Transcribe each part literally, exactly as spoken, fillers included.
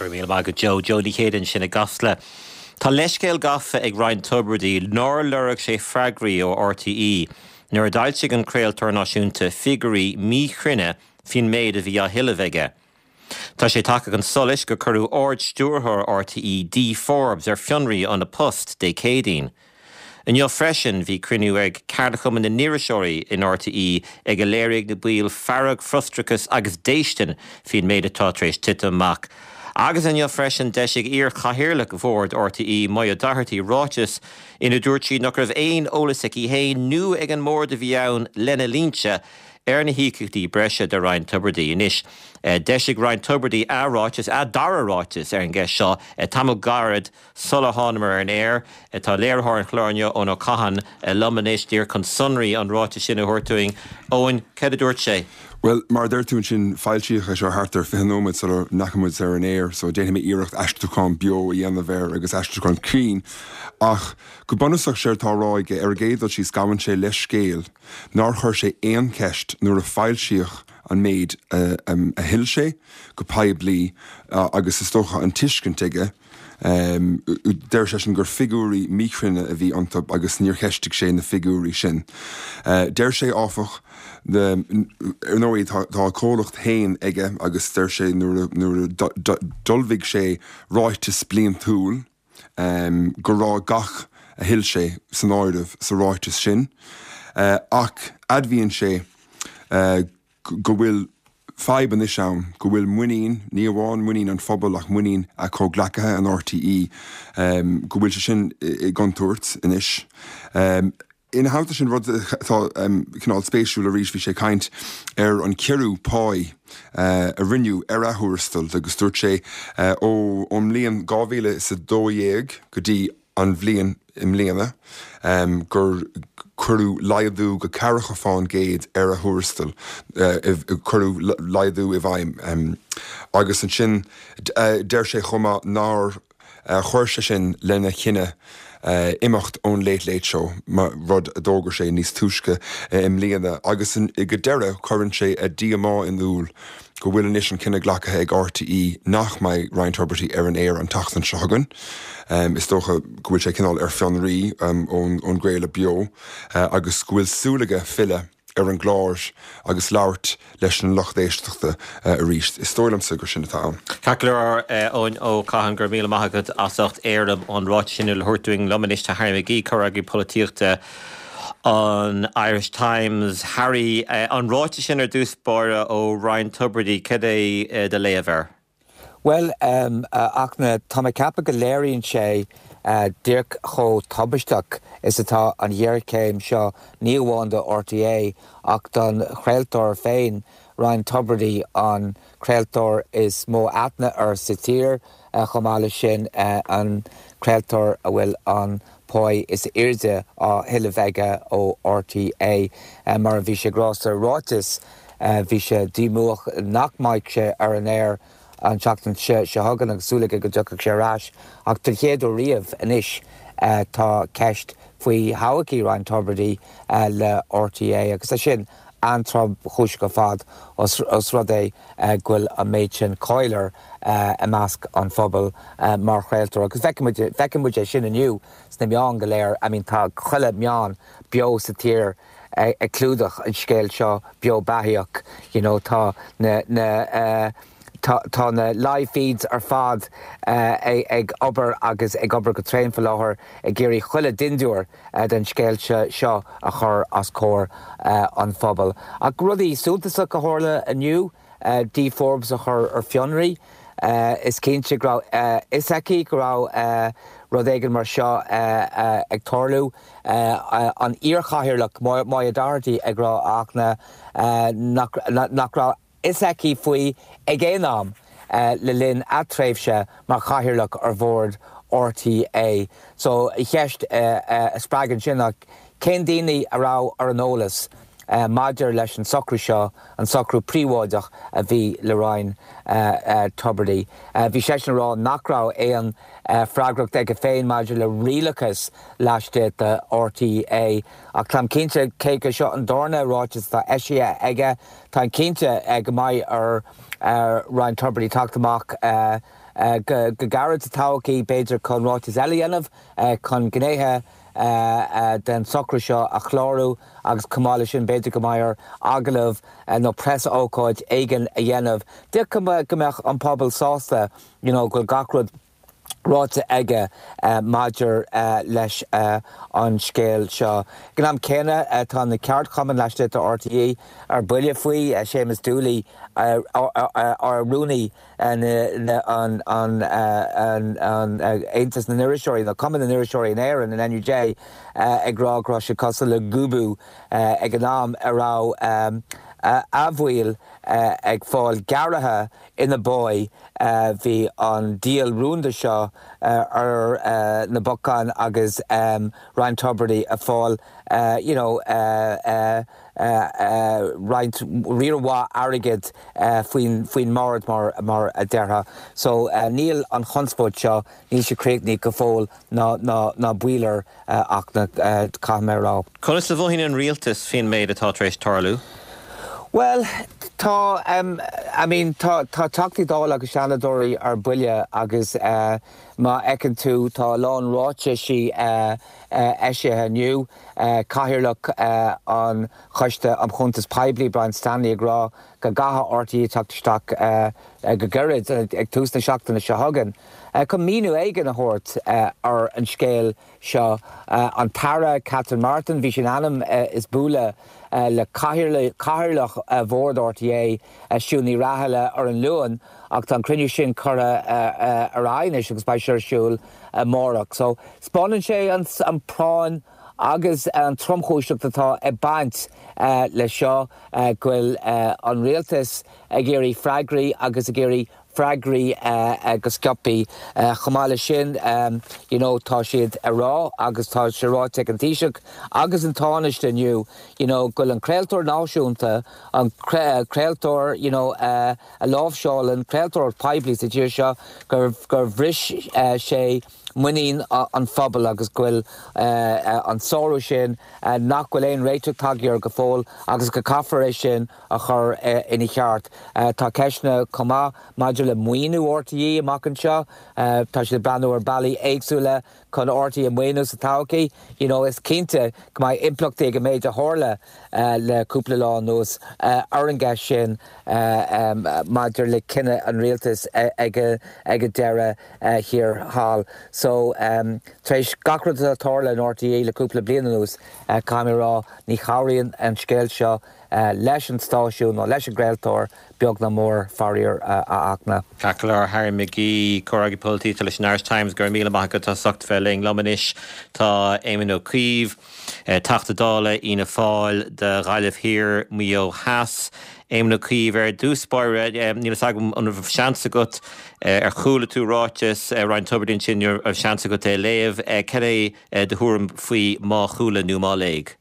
Go míle maith agat Joe Joe Ní Chéide ansin i gCasla. Tá leithscéal gafa ag Ryan Tubridy nár lorg sé freagraí ó RTÉ nuair a d'fhoilsigh an craoltóir náisiúnta figiúirí míchruinne faoin méid a bhí á thuilleamh aige. Tá sé tagtha chun solais gur cuireadh Ard-Stiúrthóir RTÉ Dee Forbes ar fionraí óna post Dé Céadaoin. Inniu freisin bhí cruinniú ag Ceardchumann na nIriseoirí in RTÉ ag a léirigh na baill fearg frustrachas agus déistin faoin méid atá tar éis titim amach. Agus inniu freisin d'eisigh iar-chathaoirleach bhord RTÉ Moya Doherty ráiteas ina dúirt sí nach raibh aon eolas aici féin nó ag an mbord a bhí ann lena linnse ar na híocaíochtaí breise do Ryan Tubridy anois. D'eisigh Ryan Tubridy a ráiteas a dara ráiteas ar an gceist seo tamall gairid sula thángamar ar an aer tá léiritheoir an chláir inniu Eoin Ó Catháin liom anois díreach chun sonraí an ráiteas sin a thabhairt dúinn Eoin cad a dúirt sé. Well mar deir tú sin foilsíodh é seo thart ar fiche nóiméad sula ndeachaigh muid ar an aer, so déanfaidh mé iarracht aistriúchán beo a dhéanamh air agus aistriúchán cruinn ach go bunúsach séard atá á rá aige ar an gcéad dul síos gabhann sé leithscéal nár chuir sé aon cheist nuair a foilsíodh an méid a, um, a thuill sé go poiblí uh, agus is dócha an tuiscint aige. Um, deir sé sin gur figiúirí míchruinne a bhí iontu agus níor cheistigh sé na figiúirí sin. Uh, deir sé áfach ar ndóigh tá a chomhlacht féin aige agus deir sé nuair nuair d'ullmhaigh sé ráiteas bliantúil um, go raibh gach a thuill sé san áireamh sa ráiteas sin. Uh, ach admhaíonn sé uh, go bhfuil fadhb anois ann go bhfuil muinín ní amháin muinín an phobail ach muinín a chomhghleacaithe an RTÉ um, go bhfuil sé sin i gcontúirt anois. Um, Ina theannta sin rud atá um, cineál spéisiúil arís bhí sé ag caint ar an ciorrú páí uh, a rinneadh ar a thuarastal agus dúirt sé uh, ó ón mbliain dhá mhíle is a dó dhéag go dtí an bhliain i mbliana um, gur cuireadh laghdú go ceathracha faoin gcéad ar a thuarastal uh, cuireadh laghdú i bhfeidhm um, agus ansin uh, deir sé chomh maith nár uh, chuir sé sin lena chinneadh uh, imeacht ón Late Late Show mar rud a d'fhógair sé níos túisce uh, i mbliana agus in, go deireadh cuireann sé a dhíomá in iúl go bhfuil anois an cinneadh glactha ag RTÉ nach mbeidh Ryan Tubridy ar an aer an tseachtain seo chugainn. Um, is dócha go bhfuil sé cineál ar fionraí um, ón, ón gcraoladh beo uh, agus go bhfuil súil aige filleadh ar an gclár agus labhairt leis an lucht éisteachta uh, arís. Is dóigh liomsa gur sin atá ann. Ceart Eoin Ó Catháin go raibh míle maith agat as ucht éirim an ráiteas sin a thabhairt dúinn liom anois tá Harry McGee comhfhreagraí polaitíochta an Irish Times Harry uh, an ráiteas sin ar dtús báire ó Ryan Tubridy cad é uh, do léamh air. Well um, uh, ach na tá mé ag ceapadh go léiríonn sé uh, díreach chomh tubaisteach is atá an ghéarchéim seo ní amháin do RTÉ ach don chraoltóir féin Ryan Tubridy an craoltóir is mó aithne air sa tír uh, chomh maith leis sin uh, an craoltóir a bhfuil an pá is airde á thuilleamh aige ó RTÉ uh, mar a bhí sé ag rá sa ráiteas uh, bhí sé díomách nach mbeidh sé ar an aer an tseachtain seo chugainn agus súil aige go dtiocfaidh sé ar ais ach den chéad uair riamh anois uh, tá ceist faoi thodhchaí Ryan Tubridy uh, le RTÉ agus é sin an-tromchúiseach ar fad os, os rud é uh, go bhfuil an méid sin cáil air uh, i measc an phobail uh, mar chraoltóir agus feiceann muid é sin inniu sna meáin go léir I mean tá chuile meán beo sa tír ag uh, clúdach an scéal seo beo beathach you know, tá na, na uh, Tá, tá na live feeds ar fad uh, ag, ag obair agus ag obair go tréan faoi láthair ag iarraidh chuile dintiúr uh, den scéal seo a chur os comhair uh, an phobail. Ach rudaí suntasach a tharla inniu uh, Dee Forbes a chur ar fionraí. Uh, is cinnte go raibh uh, fhios aici go raibh uh, rud éigin mar seo uh, uh, ag tarlú uh, uh, an iarchathaoirleach Moya Doherty ag rá ach na uh, nach, nach raibh fhios aici faoi ag aon am uh, le linn a tréimhse mar chathaoirleach ar bhord RTÉ. So cheist uh, uh, a spreagann sin ach cén daoine a raibh ar an eolas uh, maidir leis an socrú seo an socrú príobháideach a bhí le Ryan uh, uh, Tubridy. Uh, bhí sé rá nach raibh aon uh, freagracht aige féin maidir le rialachas laistigh de RTÉ ach táim cinnte cé go seo an darna ráiteas atá eisithe aige Tá cinnte go mbeidh ar uh, Ryan Tubridy teacht amach uh, go gairid sa todhchaí b'fhéidir chun ráiteas eile a dhéanamh chun gnéithe den socrú seo a chlárú agus chomh maith leis sin b'fhéidir go mbeidh air agallamh nó preasócáid éigin a dhéanamh. D'fhéadfadh go mbeadh an pobal sásta you know go bhfuil gach rud ráite aige maidir leis an scéal seo. Ag an am céanna tá na ceardchumainn laistigh de RTÉ ar buile faoi, Séamus Dooley, ar rúnaí an Aontas na nIriseoirí nó Cumann na nIriseoirí in Éirinn, an NUJ, ag rá go raibh sé cosúil le gúbú ag an am a raibh a bhaill ag fáil gearraithe ina bpá. Bhí an díol rúnda seo ar na bacáin agus Ryan Tubridy ag fáil you know roinnt riar mhaith airgid faoin faoin mbord mar mar a déarfá. So níl an chonspóid seo, níl sé críochnaithe go fóill ná ná ná baol air ach na caithfidh mé a rá. Conas a mhothaíonn an rialtas faoin méid atá tar éis tarlú? Bhuel, tá, I mean, tá tá Teachtaí Dála agus Seanadóirí ar buile agus má fheiceann tú tá a lán ráitisí eisithe inniu, Cathaoirleach an Choiste um Chuntas Poiblí, Brian Stanley ag rá go gcaithfidh RTÉ teacht isteach go gairid, ag tús na seachtaine seo chugainn, chun míniú éigin a thabhairt ar an scéal seo. An tAire Catherine Martin, bhí sé in ainm is bualadh le Cathaoirleach Bhord RTÉ, Siún Ní Raghallaigh ar an Luan ach tá an cruinniú sin curtha ar aghaidh anois agus beidh sé ar siúl amárach. So, 'spáineann sé an phráinn agus an tromchúiseacht atá ag baint leis seo, go bhfuil an rialtas ag iarraidh freagraí agus ag iarraidh freagraí go sciobtha. Chomh maith leis sin, you know, tá siad ag rá agus tá sé ráite ag an Taoiseach agus an Tánaiste inniu, you know, go bhfuil an craoltóir náisiúnta, an craoltóir, you know, a láimhseálann craoltóireacht poiblí sa tír seo, gur gur bhris sé muinín an phobail agus go bhfuil an sárú sin nach bhfuil aon réiteach tagtha air go fóill agus go caithfear é sin a chur ina cheart. Tá ceisteanna chomh maith maidir le maoiniú RTÉ amach anseo. Tá siad ag breathnú ar bealaí éagsúla chun RTÉ a mhaoiniú sa todhchaí. You know, is cinnte go mbeidh impleachtaí ag an méid a tharla le cúpla lá anuas ar an gceist sin maidir le cinneadh an rialtais ag an deireadh thiar thall. So, tar éis gach rud atá tarla in RTÉ le cúpla bliain anuas, caithfidh mé a rá, ní chabhraíonn an scéal seo leis an stáisiún nó leis an gcraoltóir, beag ná mór, faraor, a Fhachtna. Ceart go leor, Harry McGee, Comhfhreagraí Polaitíochta leis an Irish Times, go raibh míle maith agat as ucht bheith linn. Liom anois tá Éamon Ó Cuív, Teachta Dála Fhianna Fáil do Ghaillimh Thiar, Maigh Eo Theas. Éamon Ó Cuív, ar dtús báire, níl fhios agam an raibh seans agat, ar chuala tú ráiteas Ryan Tubridy ansin, an raibh seans agat é a léamh. Cad é do thuairim faoi má chuala nó má léigh?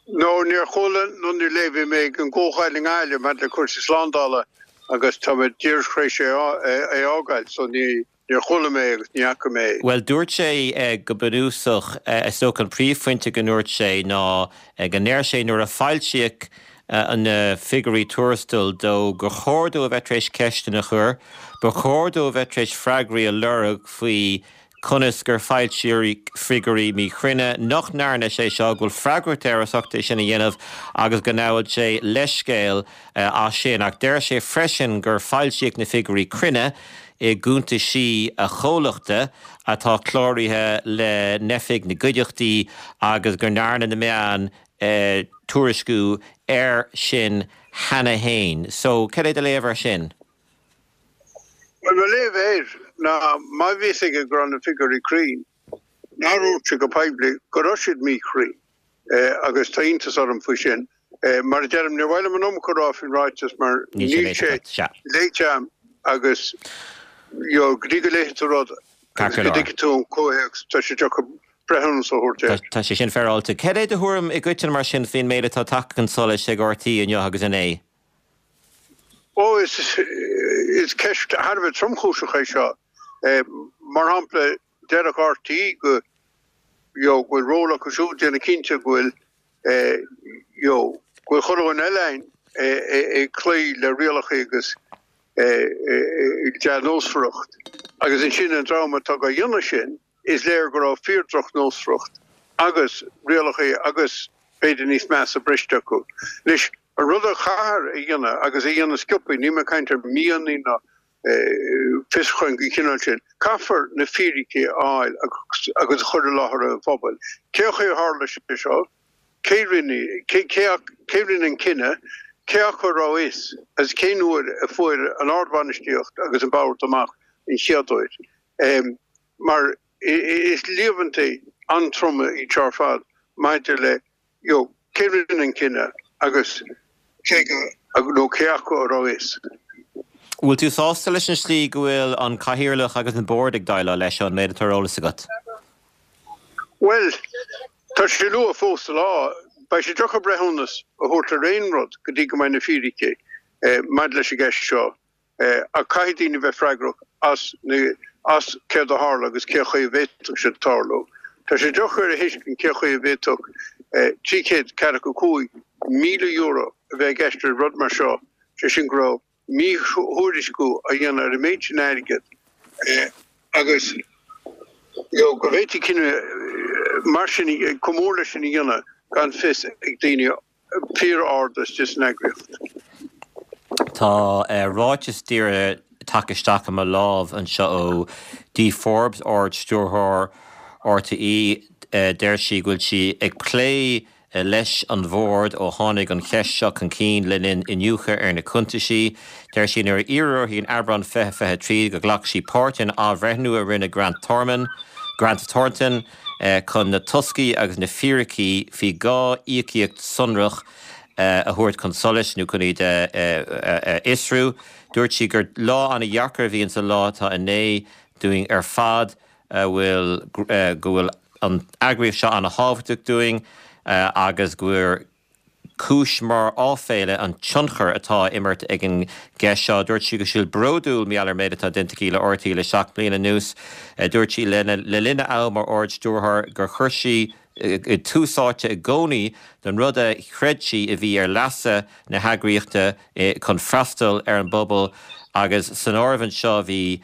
No, níor chuala nó níor léigh. Bhí mé ag an gcomhdháil i nGaillimh maidir le cúrsaí slándála agus tá mé díreach tar éis é a fhágáil so ní, níor chuala mé agus ní fhaca mé é. Bhuel, dúirt sé go bunúsach, is dócha an príomhphointe go ndúirt sé ná go ndeir sé nuair a foilsíodh na figiúirí tuarastail dó gur chóir dó a bheith tar éis ceisteanna a chur, ba chóir dó a bheith tar éis freagraí a lorg faoi conas gur foilsíodh figiúirí míchruinne, nach ndearna sé seo, go bhfuil freagracht air as ucht é sin a dhéanamh agus go ngabhann sé leithscéal as sin. Ach deir sé freisin gur foilsíodh na figiúirí cruinne i gcuntaisí a chomhlachta atá cláraithe le hOifig na gCuideachtaí agus go ndearna na meáin tuairisciú air sin cheana féin. So, cad é do léamh air sin? Bhuel, mo léamh air ná má bhí fhios aige go raibh na figiúirí cruinn, nár dhúirt sé go poiblí go raibh siad míchruinn agus tá iontas orm faoi sin. Mar a deirim, níor mhaith liom an iomarca a rá faoin ráiteas mar níl sé léite agam agus you know, go dtí go léifidh tú rud agus go dtuigfidh tú an comhthéacs, tá sé deacair breithiúnas a thabhairt air. Tá sé sin féaráilte. Cad é do thuairim i gcoitinne mar sin faoin méid atá tagtha chun solais ag RTÉ inniu agus inné? Ó, is is ceist thar a bheith tromchúiseach é seo. Mar shampla, déarfadh RTÉ go you know, go bhfuil ról acu siúd déanamh cinnte go bhfuil you know, go bhfuil chuile dhuine eile ag cloí le rialacha agus dea-nósmhaireacht. Agus ansin an dream atá á dhéanamh sin, is léir go raibh fíor-dhrochnósmhaireacht agus rialacha agus b'fhéidir níos measa briste acu. Anois, an rud a chaithfear a dhéanamh, agus a dhéanamh sciobtha, níl mé ag caint ar mhíonna ná fiosrúcháin den chineál sin, caithfear na fíricí a fháil agus a chur i láthair an phobail. Cén chaoi a tharla sé seo? Cé rinne, cé, cé rinne an cinneadh? Cé acu a raibh a fhios agus cén uair a fuair an ardbhainistíocht agus an bord amach an chéad uair? Mar is líomhaintí an-troma iad seo ar fad maidir le you know, cé rinne an cinneadh agus cé go, nó cé acu a raibh a fhios. Bhfuil tú sásta leis an slí go bhfuil an Cathaoirleach agus an Bord ag déileáil leis seo, an méid atá ar eolas agat? Bhuel, tá sé luath fós sa lá. Beidh sé deacair breithiúnas a thabhairt ar aon rud go dtí go mbeidh na fíricí maidir leis an gceist seo. Ach caithfidh daoine bheith freagrach as na, as céard a tharla agus cén chaoi a bhféadfadh sé tarlú. Tá sé deacair a thuiscint cén chaoi a bhféadfadh trí chéad ceathracha cúig míle euro a bheith i gceist le rud mar seo, sé sin go raibh míthuairisciú á dhéanamh ar an méid sin airgid agus go bhféadfaí cinneadh mar sin, chomh mór leis sin a dhéanamh gan fios ag daoine fíor-ard istigh san eagraíocht. Tá ráiteas díreach tagtha isteach i mo lámh anseo ó Dee Forbes, Ard-Stiúrthóir RTÉ. Deir sí go bhfuil sí ag plé leis an Bhord ó tháinig an cheist seo chun cinn le linn iniúchadh ar na cuntaisí. Deir sí nuair a iarradh uirthi in Aibreán fiche fiche trí go ghlac sí páirt in athbhreithniú a rinne Grant Thorman, Grant Thornton chun na toscaí agus na fíricí faoi dhá íocaíocht sonrach a thabhairt chun solais nó chun iad a fhiosrú. Dúirt sí gur lá an-dheacair a bhí insa lá atá inné dúinn ar fad a bhfuil go bhfuil an eagraíocht seo an-thábhachtach dúinn agus gur cúis mór áiféala an tionchar atá á imirt ag an gceist seo. Dúirt sí go bhfuil sí bródúil mar gheall ar an méid atá déanta aici le RTÉ le seacht mbliana anuas. Dúirt sí le linn a am mar Ard-Stiúrthóir gur chuir sí tús áite i gcónaí don rud a chreid sí a bhí ar leasa na heagraíochta chun freastal ar an bpobal agus san áireamh anseo bhí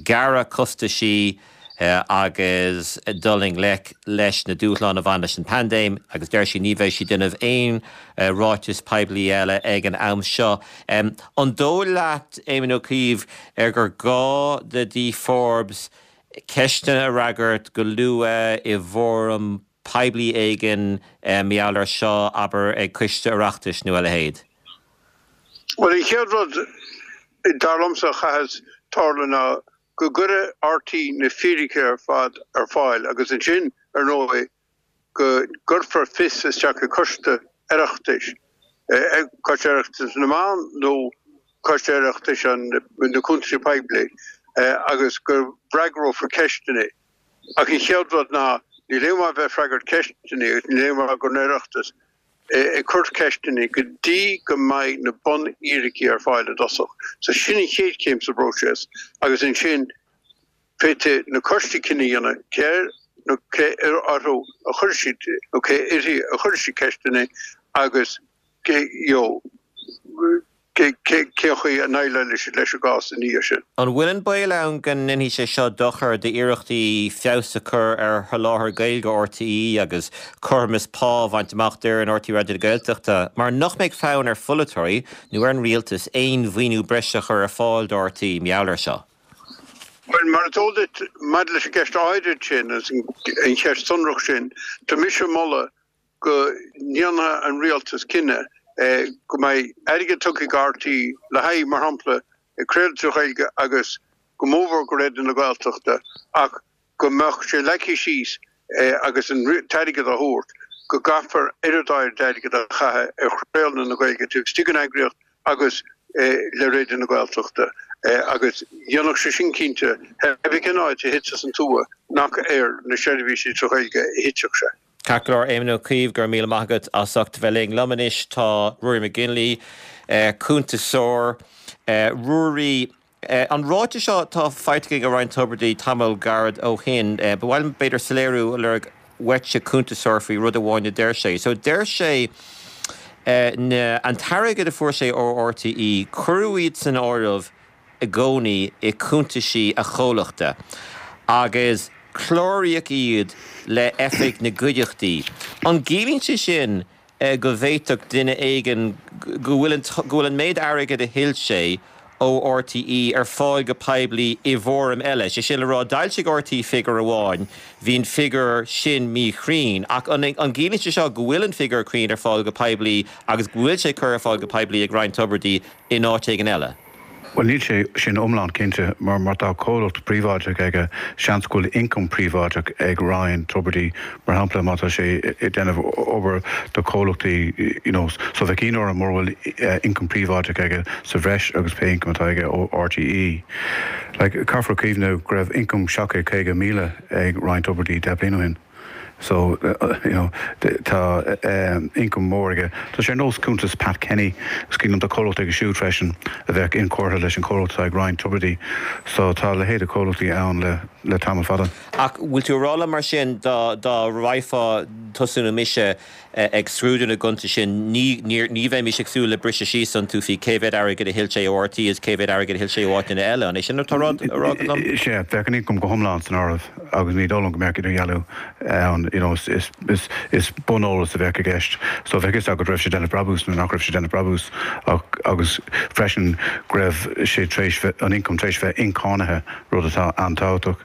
gearradh costaisí agus dul i ngleic leis na dúshláin a bhain leis an bpaindéim agus deir sí ní bheidh sí ag déanamh aon ráiteas poiblí eile ag an am seo. An dóigh leat, Éamon Ó Cuív, ar gur gá do Dee Forbes ceisteanna a fhreagairt go luath i bhfóram poiblí éigin mar gheall air seo, abair ag coiste Oireachtais nó a leithéid? Bhuel, an chéad rud, dar liomsa, a chaithfeas tarlú ná go gcuirfidh RTÉ na fíricí ar fad ar fáil agus ansin, ar ndóigh, go gcuirfear fios isteach ag coiste Oireachtais, Coiste Oireachtais na Meán nó Coiste Oireachtais na Cuntaisí Poiblí, agus go bhfreagrófar ceisteanna. Ach an chéad rud ná, níl aon mhaith bheith ag freagairt ceisteanna agus níl aon mhaith don Oireachtas ag cur ceisteanna go dtí go mbeidh na bunfhíricí ar fáil i dtosach. So sin an chéad chéim sa bpróiseas agus ansin féadfaidh na coistí cinneadh a dhéanamh cé air nó cé orthu a chuirfidh siad nó cé uirthi a chuirfidh siad ceisteanna agus cé you know cén chaoi a ndéileálfaidh siad leis an gcás ina dhiaidh sin. An bhfuil an baol ann go ndéanfaidh sé seo dochar d'iarrachtaí feabhas a chur ar sholáthar Gaeilge RTÉ agus cothromas pá a bhaint amach d'fhoireann RTÉ Raidió na Gaeltachta mar nach mbeidh fonn ar pholaiteoirí nó ar an rialtas aon mhaoiniú breise a chur ar fáil do RTÉ mar gheall air seo? Bhuel, mar is eol duit, maidir leis an gceist áirid sin agus an cheist shonrach sin, tá mise ag moladh go ndéanfaidh an rialtas cinneadh go mbeidh airgead tugtha ag RTÉ le haghaidh, mar shampla, craoladh trí Ghaeilge agus go mórmhór go Raidió na Gaeltachta ach go mbeadh sé leagtha síos agus an t-airgead á thabhairt go gcaithfear oiread áirid airgid a chaitheamh ar chraoladh na Gaeilge taobh istigh den eagraíocht agus le Raidió na Gaeltachta agus dhéanfadh sé sin cinnte, pé cén áit a thitfeas an tua, nach ar na seirbhísí trí Ghaeilge a thitfeadh sé. Ceart go leor, Éamon Ó Cuív, go raibh míle maith agat as ucht bheith linn. Liom anois tá Ruairí McGinley, cuntasóir. Ruairí, an ráiteas seo atá faighte againn ó Ryan Tubridy tamall gairid ó shin, ba mhaith liom b'fhéidir soiléiriú a lorg uaitse, cuntasóir, faoi rud amháin a deir sé. So deir sé na, an t-airgead a fuair sé ó RTÉ, cuireadh iad san áireamh i gcónaí i cuntaisí a chomhlachta agus cláraíodh iad le Oifig na gCuideachtaí. An gciallaíonn sé sin go bhféadfadh duine éigin go bhfuil an go bhfuil an méid airgid a thuill sé ó RTÉ ar fáil go poiblí i bhfoirm eile? Sé sin le rá, d'fhoilsigh RTÉ figiúr amháin, bhí an figiúr sin míchruinn, ach an an gciallaíonn sé seo go bhfuil an figiúr cruinn ar fáil go poiblí agus go bhfuil sé curtha ar fáil go poiblí ag Ryan Tubridy in áit éigin eile? Bhuel, níl sé sin iomlán cinnte, mar má tá comhlacht príobháideach aige, seans go bhfuil ioncam príobháideach ag Ryan Tubridy, mar shampla, má tá sé ag déanamh obair do chomhlachtaí, you know, so bheadh ionadh orm mura bhfuil ioncam príobháideach aige sa bhreis agus pé ioncam atá aige ó RTÉ. Like, caithfear cuimhneamh go raibh ioncam seacht gcéad caoga míle ag Ryan Tubridy deich bliana ó shin. So, you know, tá ioncam mór aige. Tá sé ar nós cuntas Pat Kenny, is cuimhin liom tá comhlacht aige siúd freisin a bheadh inchurtha leis an chomhlacht atá ag Ryan Tubridy. So tá a leithéid de chomhlachtaí ann le le tamall fada. Ach bhfuil tú ag rá liom mar sin dá dá raghfá tusa nó mise ag scrúdú na gcuntas sin ní ní bheimis ag súil le briseadh síos iontu faoi cé mhéad airgead a thuill sé ó RTÉ is cé mhéad airgead a thuill sé ó áiteanna eile. An é sin atá á rá agat liom? Sea, bheadh an ioncam go hiomlán san áireamh agus ní dóigh liom go mbeadh idirdhealú ann. You know, is is is is buneolas a bheadh i gceist. So bheadh fhios agat raibh sé déanamh brabús nó nach raibh sé déanamh brabús ach agus freisin go raibh sé tar éis bheith an ioncam tar éis bheith incháinithe, rud atá an-tábhachtach.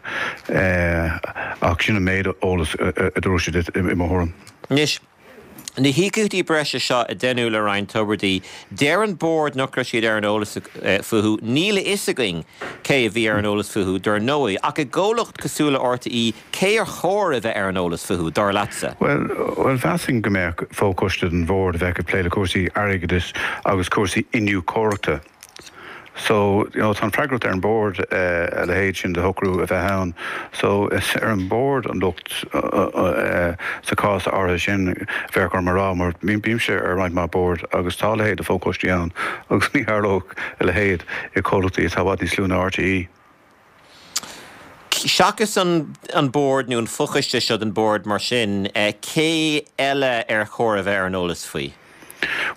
Ach sin an méid eolas a dúirt siad i mo thuairim. Anois, na híocaíochtaí breise seo a deineadh le Ryan Tubridy, deir an Bord nach raibh siad ar an eolas fúthu. Níl a fhios againn cé a bhí ar an eolas fúthu, dar ndóigh. Ach i gcomhlacht cosúil le RTÉ, cé ar chóir a bheith ar an eolas fúthu, dar leatsa? Bhuel, bhuel, mheasfainn go mbeadh fochoiste den bhord a bheadh ag plé le cúrsaí airgeadais agus cúrsaí iniúchóireachta. So, you know, tá an freagracht ar an bord a leithéid sin de shocrú a bheith ann. So, is ar an bord an locht sa chás áirithe sin, bheadh orm a rá, mar bímse ar roinnt mhaith bord agus tá a leithéid de fhochoistí ann agus ní tharlódh a leithéid i gcomhlachtaí atá i bhfad níos lú ná RTÉ. Seachas an an bord nó an fochoiste seo den bord mar sin, cé eile ar chóir a bheith ar an eolas faoi?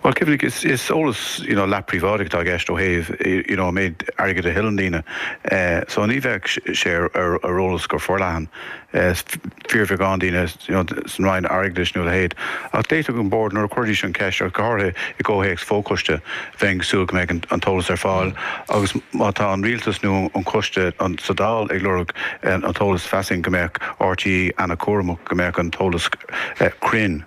Bhuel, cuimhnigh, is is eolas you know, leath-phríobháideach atá i gceist ó thaobh you know, an méid airgid a thuilleann daoine. So ní bheadh sé ar ar eolas go forleathan. Fíorbheagán daoine you know, san Roinn Airgeadais nó a leithéid. Ach d'fhéadfadh an bord nuair a chuirdís an cheist, go háirithe i gcomhthéacs fochoiste, bheinn ag súil go mbeadh an t-eolas ar fáil. Agus má tá an rialtas nó an coiste sa Dáil ag lorg an t-eolas, mheasfainn go mbeadh RTÉ an-chúramach go mbeadh an t-eolas cruinn.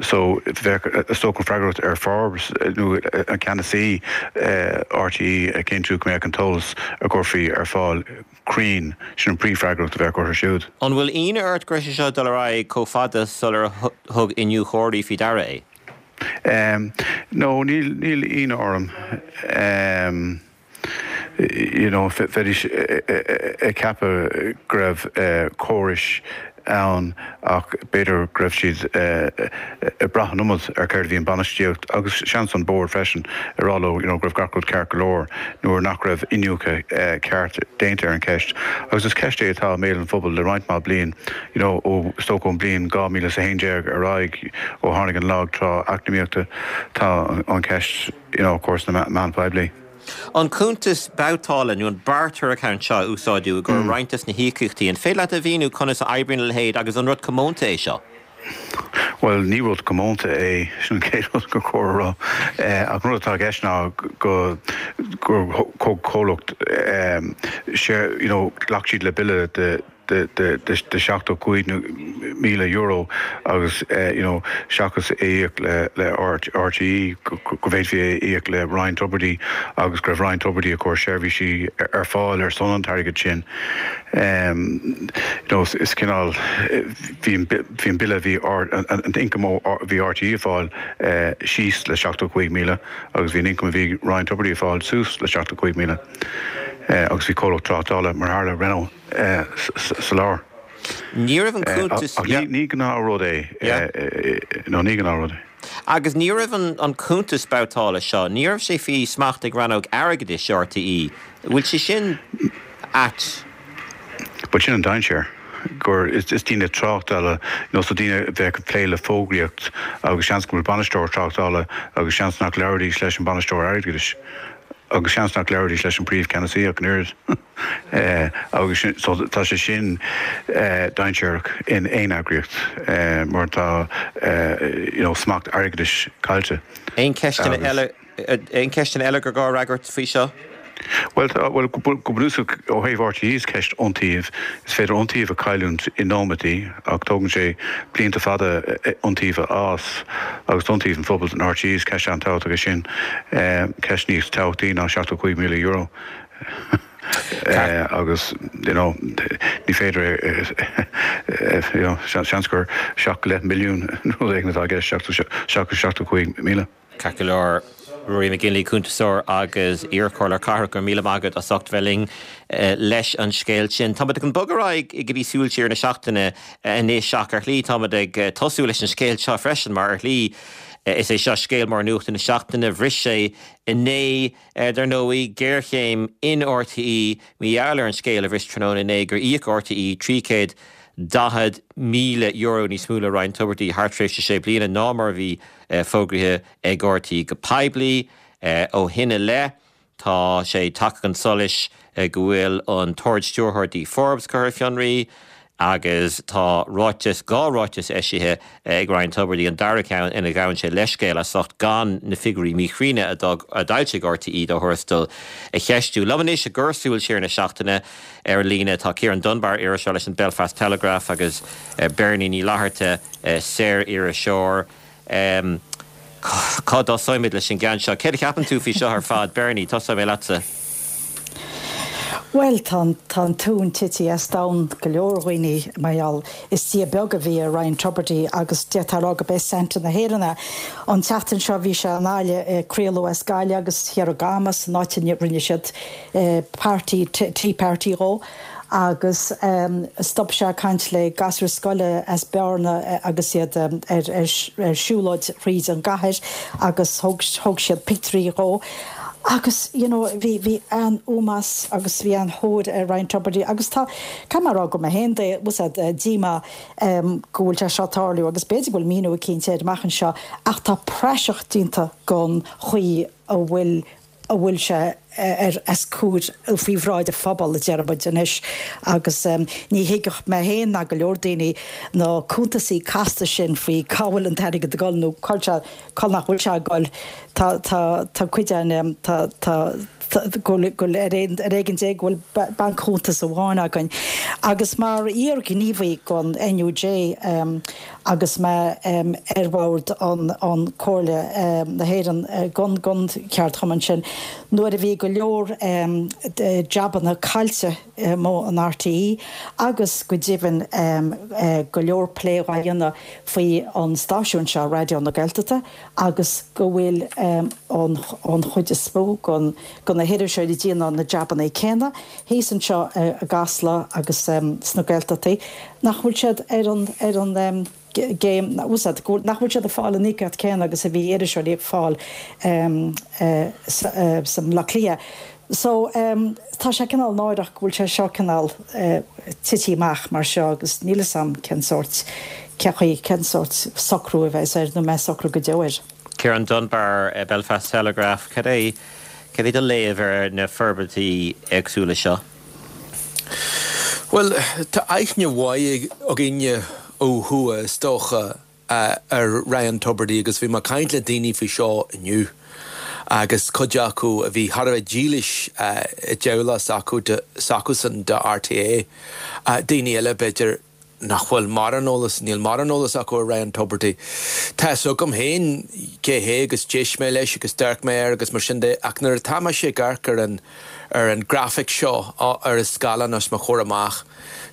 So bheadh is dócha an freagracht ar Forbes nó an ceannasaí RTÉ a chinntiú go mbeadh an t-eolas a gcuirfí ar fáil cruinn, sin an príomhfhreagracht a bheadh orthu siúd. An bhfuil ionadh ort go raibh sé seo ag dul ar aghaidh chomh fada sular thug iniúchóirí faoi deara é? No, níl níl ionadh orm. You know, bheidís ag ceapadh go raibh córais ann ach b'fhéidir go raibh siad ag brath an iomad ar céard a bhí an bainistíocht agus seans an bord freisin ag rá leo you know, go raibh gach rud ceart go leor nuair nach raibh iniúchadh ceart déanta ar an cheist. Agus is ceist é atá i mbéal an phobail le roinnt mhaith bliain, you know, ó is dócha ón bliain dhá mhíle is a haon déag ar aghaidh ó tháinig an lag trá eacnamaíochta tá an cheist you know, cúrsa na meán poiblí. An cuntas babhtála nó an barter account seo a úsáideadh i gcomhair roinnt des na híocaíochtaí, an féidir leat a mhíniú conas a oibríonn a leithéid agus an rud comónta é seo? Bhuel, ní rud comónta é, sin an chéad rud gur chóir a rá. Ach an rud atá i gceist ná go gur thug comhlacht you know, ghlac siad le bille de de de seachtó cúig míle euro agus you know seachas é íoc le le RTÉ go bhféadfaí é íoc le Ryan Tubridy agus go raibh Ryan Tubridy ag cur seirbhísí ar fáil ar son an t-airgead sin. You know is cineál bhí bhí an bille bhí an t-ioncam a bhí RTÉ ag fáil síos le seachtó cúig míle agus bhí an ioncam a bhí Ryan Tubridy ag fáil suas le seachtó cúig míle agus bhí comhlacht tráchtála mar tharla Renault sa lár. Ní raibh an cuntas. Ach ní gnáthrud é nó ní gnáthrud é. Agus ní raibh an cuntas babhtála seo, ní raibh sé faoi smacht ag rannóg airgeadais RTÉ. Bhfuil sé sin ait? But sin an dainséar. gur is daoine tráchtála nó so daoine a bheadh ag plé le fógraíocht agus seans go bhfuil bainisteoir tráchtála agus seans nach labhróidís leis an bainisteoir airgeadais agus seans nach labhróidís leis an príomhcheannasaí ach an oiread. Agus so tá sé sin dainséarach in aon eagraíocht mar tá you know smacht airgeadais caillte. Aon ceisteanna eile aon ceisteanna eile gur gá a fhreagairt faoi seo? Bhuel, bhuel, go bunúsach ó thaobh RTÉ is ceist iontaoibh. Is féidir iontaoibh a chailliúint i nóiméadaí ach tógann sé blianta fada iontaoibh a fhás agus iontaoibh an phobail in RTÉ is ceist an-tábhachtach é sin, ceist níos tábhachtaí ná seachtó cúig míle euro. Agus you know ní féidir you know seans gur seacht go leith milliún nó rud éigin atá i gceist seachas seachtó cúig míle. Ceart go leor, Ruairí McGinley, cuntasóir agus iarchomhairleoir cathrach, go raibh míle maith agat as ucht bheith linn leis an scéal sin. Táimid chun bogadh ar aghaidh go dtí súil siar na seachtaine anois ach ar shlí táimid ag tosú leis an scéal seo freisin mar ar shlí is é seo scéal mór nuachta na seachtaine. Bhris sé inné, dar ndóigh, géarchéim in RTÉ mar gheall ar an scéal a bhris tráthnóna inné gur íoc RTÉ trí chéad daichead míle euro níos mó le Ryan Tubridy thar tréimhse sé bliana ná mar a bhí fógraithe ag RTÉ go poiblí. Ó shin i leith, tá sé tagtha chun solais go bhfuil an tArd-Stiúrthóir Dee Forbes curtha ar fionraí agus tá ráiteas, dhá ráiteas eisithe ag Ryan Tubridy, an dara ceann ina ghabhann sé leithscéal as ucht gan na figiúirí míchruinne a d'fhoilsigh RTÉ dá thuarastal a cheistiú. Liom anois i gcomhair súil siar na seachtaine ar an líne tá Ciarán Dunbar, iriseoir leis an Belfast Telegraph agus Bernie Ní Fhlatharta, saor-iriseoir. Cá dtosóimid leis an gceann seo? Céard a cheapann tú faoi seo ar fad? Bernie, tosóidh mé leatsa. Bhuel, tá an tóin tite as domhan go leor dhaoine mar gheall, is dia beag a bhí i Ryan Tubridy agus d'fhéadfá a rá gurb é Santa na hÉireann é. An tseachtain seo bhí sé in Gaillimh ag craoladh as Gaillimh agus thiar i gCamas, an áit a rinne siad party, tea party dhó agus stop sé ag caint le gasúir scoile as Bearna agus iad ar siúlóid thríd an gcathair agus thóg siad pictiúirí dhó. Agus you know bhí bhí an-ómós agus bhí an-thóir ar Ryan Tubridy agus tá caithfidh mé a rá go mé féin de was díomá go bhfuil sé seo ag tarlú agus b'fhéidir go bhfuil míniú eicínt air amach anseo ach tá praiseach déanta den chaoi a bhfuil a bhfuil sé ar os comhair faoi bhráid an phobail a deir muid anois agus ní thuigfeadh mé féin ná go leor daoine na cuntasaí casta sin faoi cá bhfuil an t-airgead ag dul nó cá cá nach bhfuil sé ag dul. Tá tá tá cuid an tá tá go bhfuil ar ar éigean dé go bhfuil bainc-chuntas amháin againn. Agus mar iar-ghníomhaí don NUJ agus mé ar bhord an an Comhairle na hÉireann gon gon ceardchumann sin, nuair a bhí go leor jabanna caillte amuigh in RTÉ agus go deimhin go leor plé á dhéanamh faoi an stáisiún seo Raidió na Gaeltachta agus go bhfuil an an chuid is mó gon go na hiriseoirí ag déanamh na jabanna céanna thíos anseo i gCasla agus sna Gaeltachtaí nach bhfuil siad ar an ar an gcéim úsáid nach bhfuil siad ag fáil an íocaíocht céanna agus a bhí iriseoirí ag fáil sa mBaile Átha Cliath. So tá sé cineál náireach go bhfuil sé seo cineál tite amach mar seo agus níl 'fhios a'm cén sórt cé chaoi cén sórt socrú a bheas air nó mbeidh socrú go deo air. Ciarán Dunbar, Belfast Telegraph, cad é cad é do léamh ar na forbairtí éagsúla seo? Bhuel, tá aithne mhaith againne ó thuaidh is dócha ar Ryan Tubridy agus bhí mé ag caint le daoine faoi seo inniu agus cuid acu a bhí thar a bheith dílis i dteaghlach s'acusan do RTÉ, daoine eile b'fhéidir nach bhfuil mórán eolas, níl mórán eolas acu ar Ryan Tubridy. Tá 'fhios agam féin cé hé agus d'éist mé leis agus d'amharc mé air agus mar sin de ach nuair atá mise ag amharc ar an ar an grafaic seo ar an scáileán os mo chomhair amach,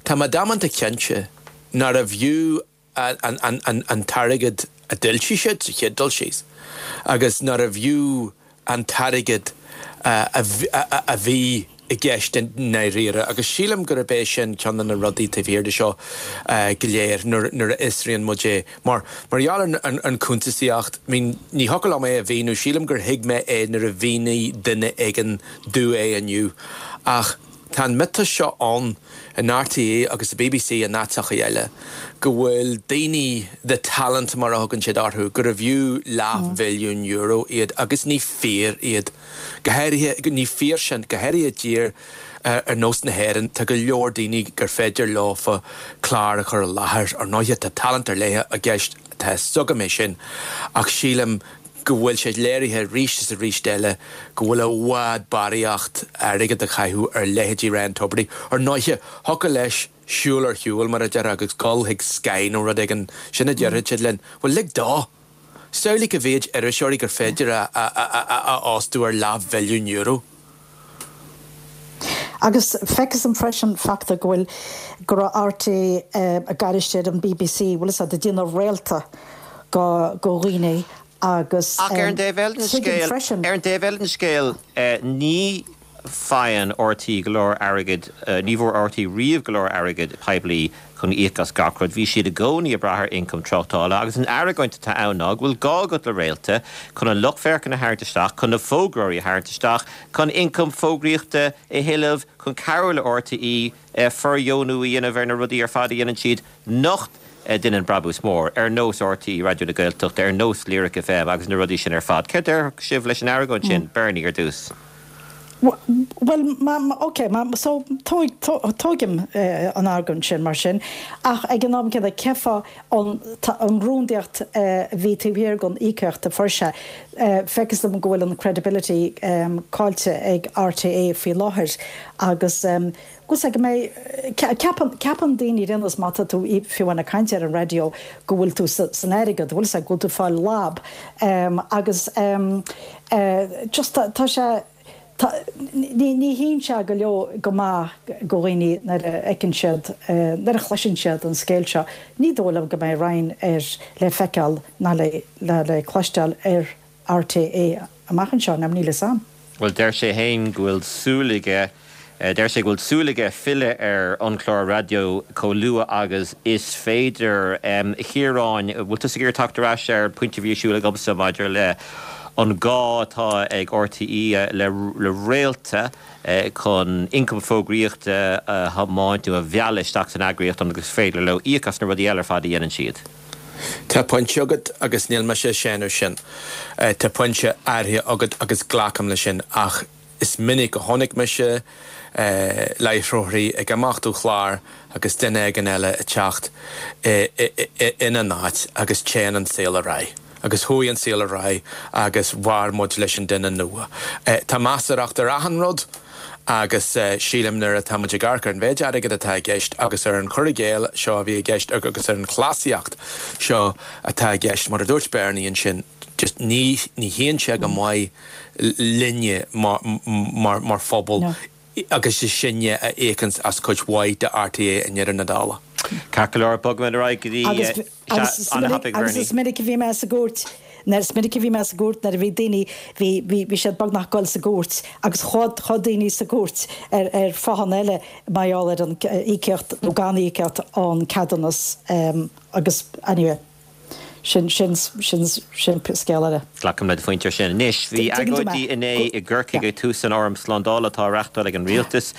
tá mé damanta cinnte nárbh fhiú an t-airgead a d'fhoilsigh siad sa chéad dul síos agus nárbh fhiú an t-airgead a bhí i gceist i ndáiríre agus sílim gurb é sin ceann de na rudaí taobh thiar de seo go léir nuair a fhiosraíonn muid é. Mar mar gheall ar an chuntasaíocht, I mean, ní thiocfadh liom é a mhíniú, sílim gur thuig mé é nuair a mhínigh duine éigin domh é inniu ach Tá an miotas seo ann in RTÉ agus sa BBC in áiteacha eile go bhfuil daoine the talent mar a thugann siad orthu gurbh fhiú leathbhilliún euro iad agus ní fíor iad. Go háirithe ní fíor sin go háirithe i dtír ar nós na hÉireann tá go leor daoine gur féidir leofa clár a chur i láthair ar ndóighe tá talent ar leith i gceist tá a fhios agam é sin ach sílim go bhfuil sé léirithe arís is arís eile go bhfuil i bhfad barraíocht airgead a chaitheamh ar leithéidí Ryan Tubridy. Ar ndóighe, thiocfadh leis siúl ar shiúl mar a déarfá agus dul chuig Sky nó rud éigin, sin a déarfaidh siad linn. Bhuel, lig dó! Samhlaigh a mhéid iriseoirí gur féidir a fhostú ar leathbhilliún euro. Agus feictear dom freisin fachta go bhfuil go raibh RTÉ ag gairist ar an BBC, bhfuil fhios a'd, ag déanamh réalta go go dhaoine agus Ach ar an dtaobh eile den tuigim scéal, freisin. ar an dtaobh eile den scéal, ní faigheann RTÉ go leor airgid, ní bhfuair RTÉ riamh go leor airgid poiblí chun íoc as gach rud. Bhí siad i gcónaí ag brath ar ioncam tráchtála agus an argóint atá ann ná go bhfuil gá agat le réalta chun an lucht féachana a tharraingt isteach, chun na fógróirí a tharraingt isteach, chun ioncam fógraíochta a thuilleamh, chun cabhrú le RTÉ fóirdheonú a dhéanamh ar na rudaí ar fad a dhéanann siad nach ndéanann brabús mór, ar nós RTÉ Raidió na Gaeltachta, ar nós Lyric FM agus na rudaí sin ar fad. Céard a déarfadh sibh leis an argóint sin, Bernie ar dtús? Bhuel, ok, so tógaim an argóint sin mar sin, ach ag an am céanna cén fáth an rúndaíocht a bhí taobh thiar den íocaíocht a fuair sé, feictear dom go bhfuil an credibility caillte ag RTÉ faoi láthair agus go go mbeidh ceapann ceapann daoine ar aon nós má tá tú fiú amháin ag caint ar an raidió go bhfuil tú san airgead, bhfuil sé go bhfuil tú ag fáil lab agus just tá sé Ní ní shuíonn sé go leor go maith go dhaoine nuair a fheiceann siad, nuair a chloiseann siad an scéal seo. Ní dóigh liom go mbeidh Ryan ar le feiceáil ná le le cloisteáil ar RTÉ amach anseo, ná níl a fhios a'm. Bhuel, deir sé féin go bhfuil súil aige Deir sé go bhfuil súil aige filleadh ar an chlár raidió chomh luath agus is féidir. A Chiaráin, bhfuil tusa ag iarraidh teacht ar ais ar an bpointe a bhí ar siúl agamsa maidir le an gá atá ag RTÉ le le réalta chun ioncam fógraíochta a thiomáint nó a mhealladh isteach san eagraíocht ionas gur féidir leo íoc as na rudaí eile ar fad a dhéanann siad? Tá pointe agat agus níl mise ag séanadh sin. Tá pointe áirithe agat agus glacaim leis sin ach Is minic a chonaic mise láithreoirí ag imeacht ó chlár agus duine éigin eile ag teacht ina n-áit agus téann an saol ar aghaidh. Agus chuaigh an saol ar aghaidh agus mhair muid leis an duine nua. Tá measarthacht ar achan rud agus sílim nuair atá muid ag amharc ar an mhéid airgid atá i gceist agus ar an chur i gcéill seo a bhí i gceist agus ar an chleasaíocht seo atá i gceist, mar a dúirt Bernie ansin, just ní ní shuíonn sé go maith linne mar mar mar phobal agus is sinne a íocanns as cuid mhaith de RTÉ i ndeireadh na dála. Ceart go leor, bogfaimid ar aghaidh go dtí Agus agus is minic agus is minic a bhí mé sa gcúirt nuair is minic a bhí mé sa gcúirt nuair a bhí daoine bhí bhí bhí siad beagnach ag dul sa gcúirt agus chuaigh chuaigh daoine sa gcúirt ar ar fáthanna eile mar gheall ar an íocaíocht nó gan íocaíocht an ceadúnas agus anyway. Sin, sin, sin, sin scéal eile. Glacaim le do phointe ar sin. Anois, bhí Tuigeann tú mé. agóidí inné i gCorcaigh Yeah. ag tús an Fhóram Slándála atá á reachtáil ag an Rialtas.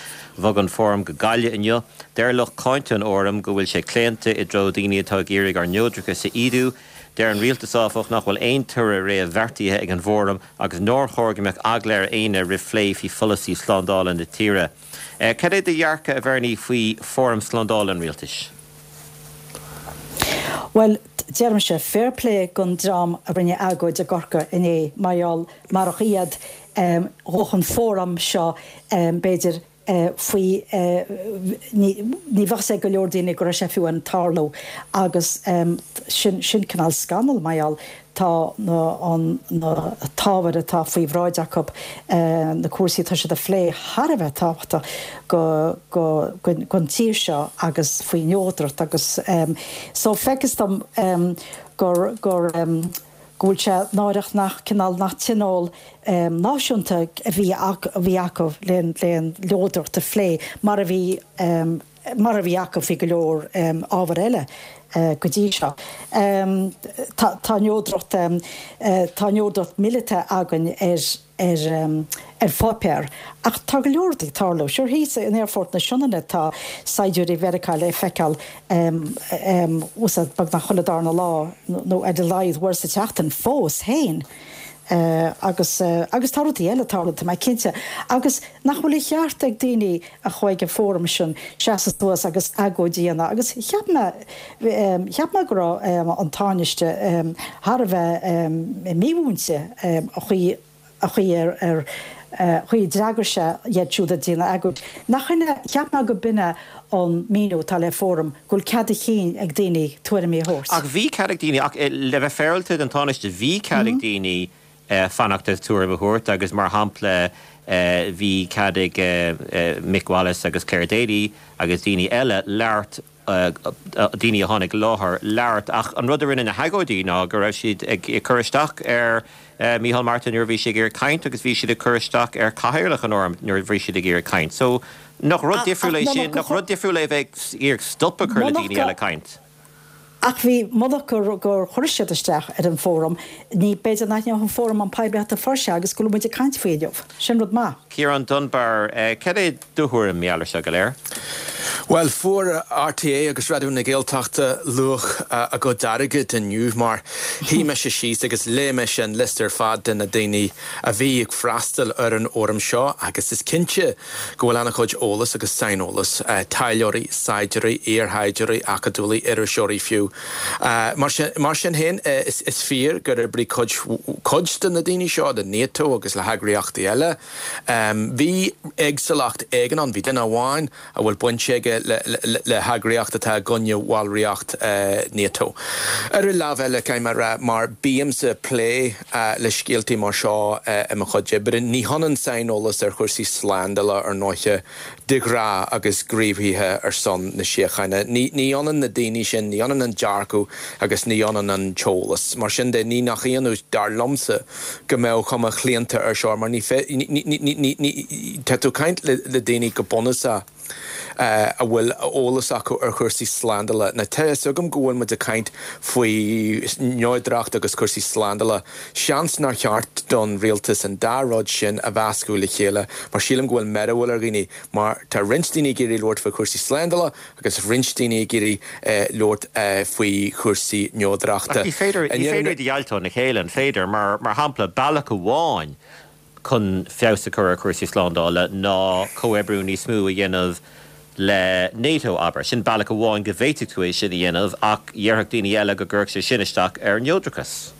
Bhog an Fóram go Gaillimh inniu. Deir lucht cáinte an Fhóraim go bhfuil sé claonta i dtreo daoine atá ag iarraidh ár neodrachas a ídiú. Deir an Rialtas, áfach, nach bhfuil aon toradh réamhbheartaithe ag an bhFóram agus nár chóir go mbeadh eagla ar éinne roimh phlé faoi pholasaí slándála na tíre. Cad é do dhearcadh, a Bhernie, faoi Fhóram Slándála an Rialtais? Bhuel, deirimse, fair play don dream a rinne agóid i gCorcaigh inné, mar gheall, marach iad, bheadh an fóram seo, b'fhéidir, faoi, ní bheadh fhios ag go leor daoine go raibh sé fiú ag tarlú agus sin, sin cineál scannal, mar gheall, tá na, an, na t-ábhar atá faoi bhráid acu, na cúrsaí atá siad a phlé thar a bheith tábhachtach go, go, go, don tír seo agus faoi neodracht agus so feictear dom gur, gur, go bhfuil sé náireach nach cineál, nach tionól náisiúnta a bhí, a bhí acu le, le an neodracht a phlé mar a bhí mar a bhí acu faoi go leor ábhar eile go dtí seo. Tá neodracht tá neodracht míleata againn ar ar ar pháipéar. Ach tá go leor ag tarlú. Sure thíos in Aerfort na Sionainne tá saighdiúirí Mheiriceá le feiceáil beagnach chuile darna lá nó ar a laghad uair sa tseachtain fós féin. Agus agus tá rudaí eile ag tarlú, tá mé cinnte. Agus nach bhfuil a cheart ag daoine a chuaigh ag an fóram sin seasamh suas agus agóid a dhéanamh. Agus cheap mé cheap mé go raibh an Tánaiste thar a bheith mímhúinte a chaoi a chaoi ar ar chaoi a d'fhreagair sé iad siúd a déanamh agóid. Nach ina cheap mé go b'in é an míniú atá le fóram go bhfuil cead a chinn ag daoine tuairimí a thabhairt. Ach bhí cead ag daoine, ach le bheith féaráilte don Tánaiste, bhí cead ag daoine fanacht agus tuairim a thabhairt agus mar shampla bhí cead ag Mick Wallace agus Clare Daly agus daoine eile labhairt daoine a tháinig i láthair labhairt ach an rud a rinne na hagóidí ná go raibh siad ag cur isteach ar Micheál Martin nuair a bhí sé ag iarraidh caint agus bhí siad ag cur isteach ar chathaoirleach an fhóraim nuair a bhí siad ag iarraidh caint. So nach rud difriúil é sin, nach rud difriúil é a bheith ag iarraidh stop a chur le daoine eile caint? Ach bhí munach gur gur chuir siad isteach ar an bhfóram, ní b'fhéidir nach ndéanfadh an fóram an poiblíocht a fuair sé agus go bhfuil muid ag caint faoi inniu. Sin rud maith. Ciarán Dunbar, Cad é do thuairim mar gheall air seo go léir? Bhuel, fuair RTÉ agus Raidió na Gaeltachta luach a gcuid airgid inniu mar shuigh mise síos agus léigh mise an liosta ar fad de na daoine a bhí ag freastal ar an fhóram seo agus is cinnte go bhfuil an-chuid eolas agus saineolas, taidhleoirí, saighdiúirí, iarshaighdiúirí, acadúlaí, iriseoirí fiú. Mar sin, mar sin féin, is, is fíor gur oibrigh cuid, cuid de na daoine seo le NATO agus le heagraíochtaí eile. Bhí éagsúlacht éigin ann, bhí duine amháin a bhfuil baint aige le, le, le heagraíocht atá i gcoinne bhallraíocht NATO. Ar an lámh eile, caithfidh mé a rá, mar bímse ag plé le scéaltaí mar seo i mo chuid oibre, ní hionann saineolas ar chúrsaí slándála ar ndóiche de ghnáth agus gníomhaithe ar son na síochána. Ní ionann na daoine sin, ní ionann an dearcadh agus ní ionann an t-eolas. Mar sin de, ní nach ionadh, dar liomsa, go mbeadh cuma chlaonta air seo mar ní, ní, tá tú ag caint le daoine go bunúsach a bhfuil eolas acu ar chúrsaí slándála. Now tá fhios agam go bhfuil muid ag caint faoi neodracht agus cúrsaí slándála. Seans nár cheart don rialtas an dá rud sin a mheascadh le chéile mar sílim go bhfuil mearbhall ar dhaoine mar tá roinnt daoine ag iarraidh labhairt faoi chúrsaí slándála agus roinnt daoine ag iarraidh labhairt faoi chúrsaí neodrachta. Ach ní féidir iad a dheighilt óna chéile, an féidir? Mar shampla, bealach amháin chun feabhas a chur ar chúrsaí slándála ná comhoibriú níos mó a dhéanamh le NATO, abair. Sin bealach amháin go bhféadfadh tú é sin a dhéanamh ach dhéarfadh daoine eile go gcuirfeadh sé sin isteach ar neodrachas.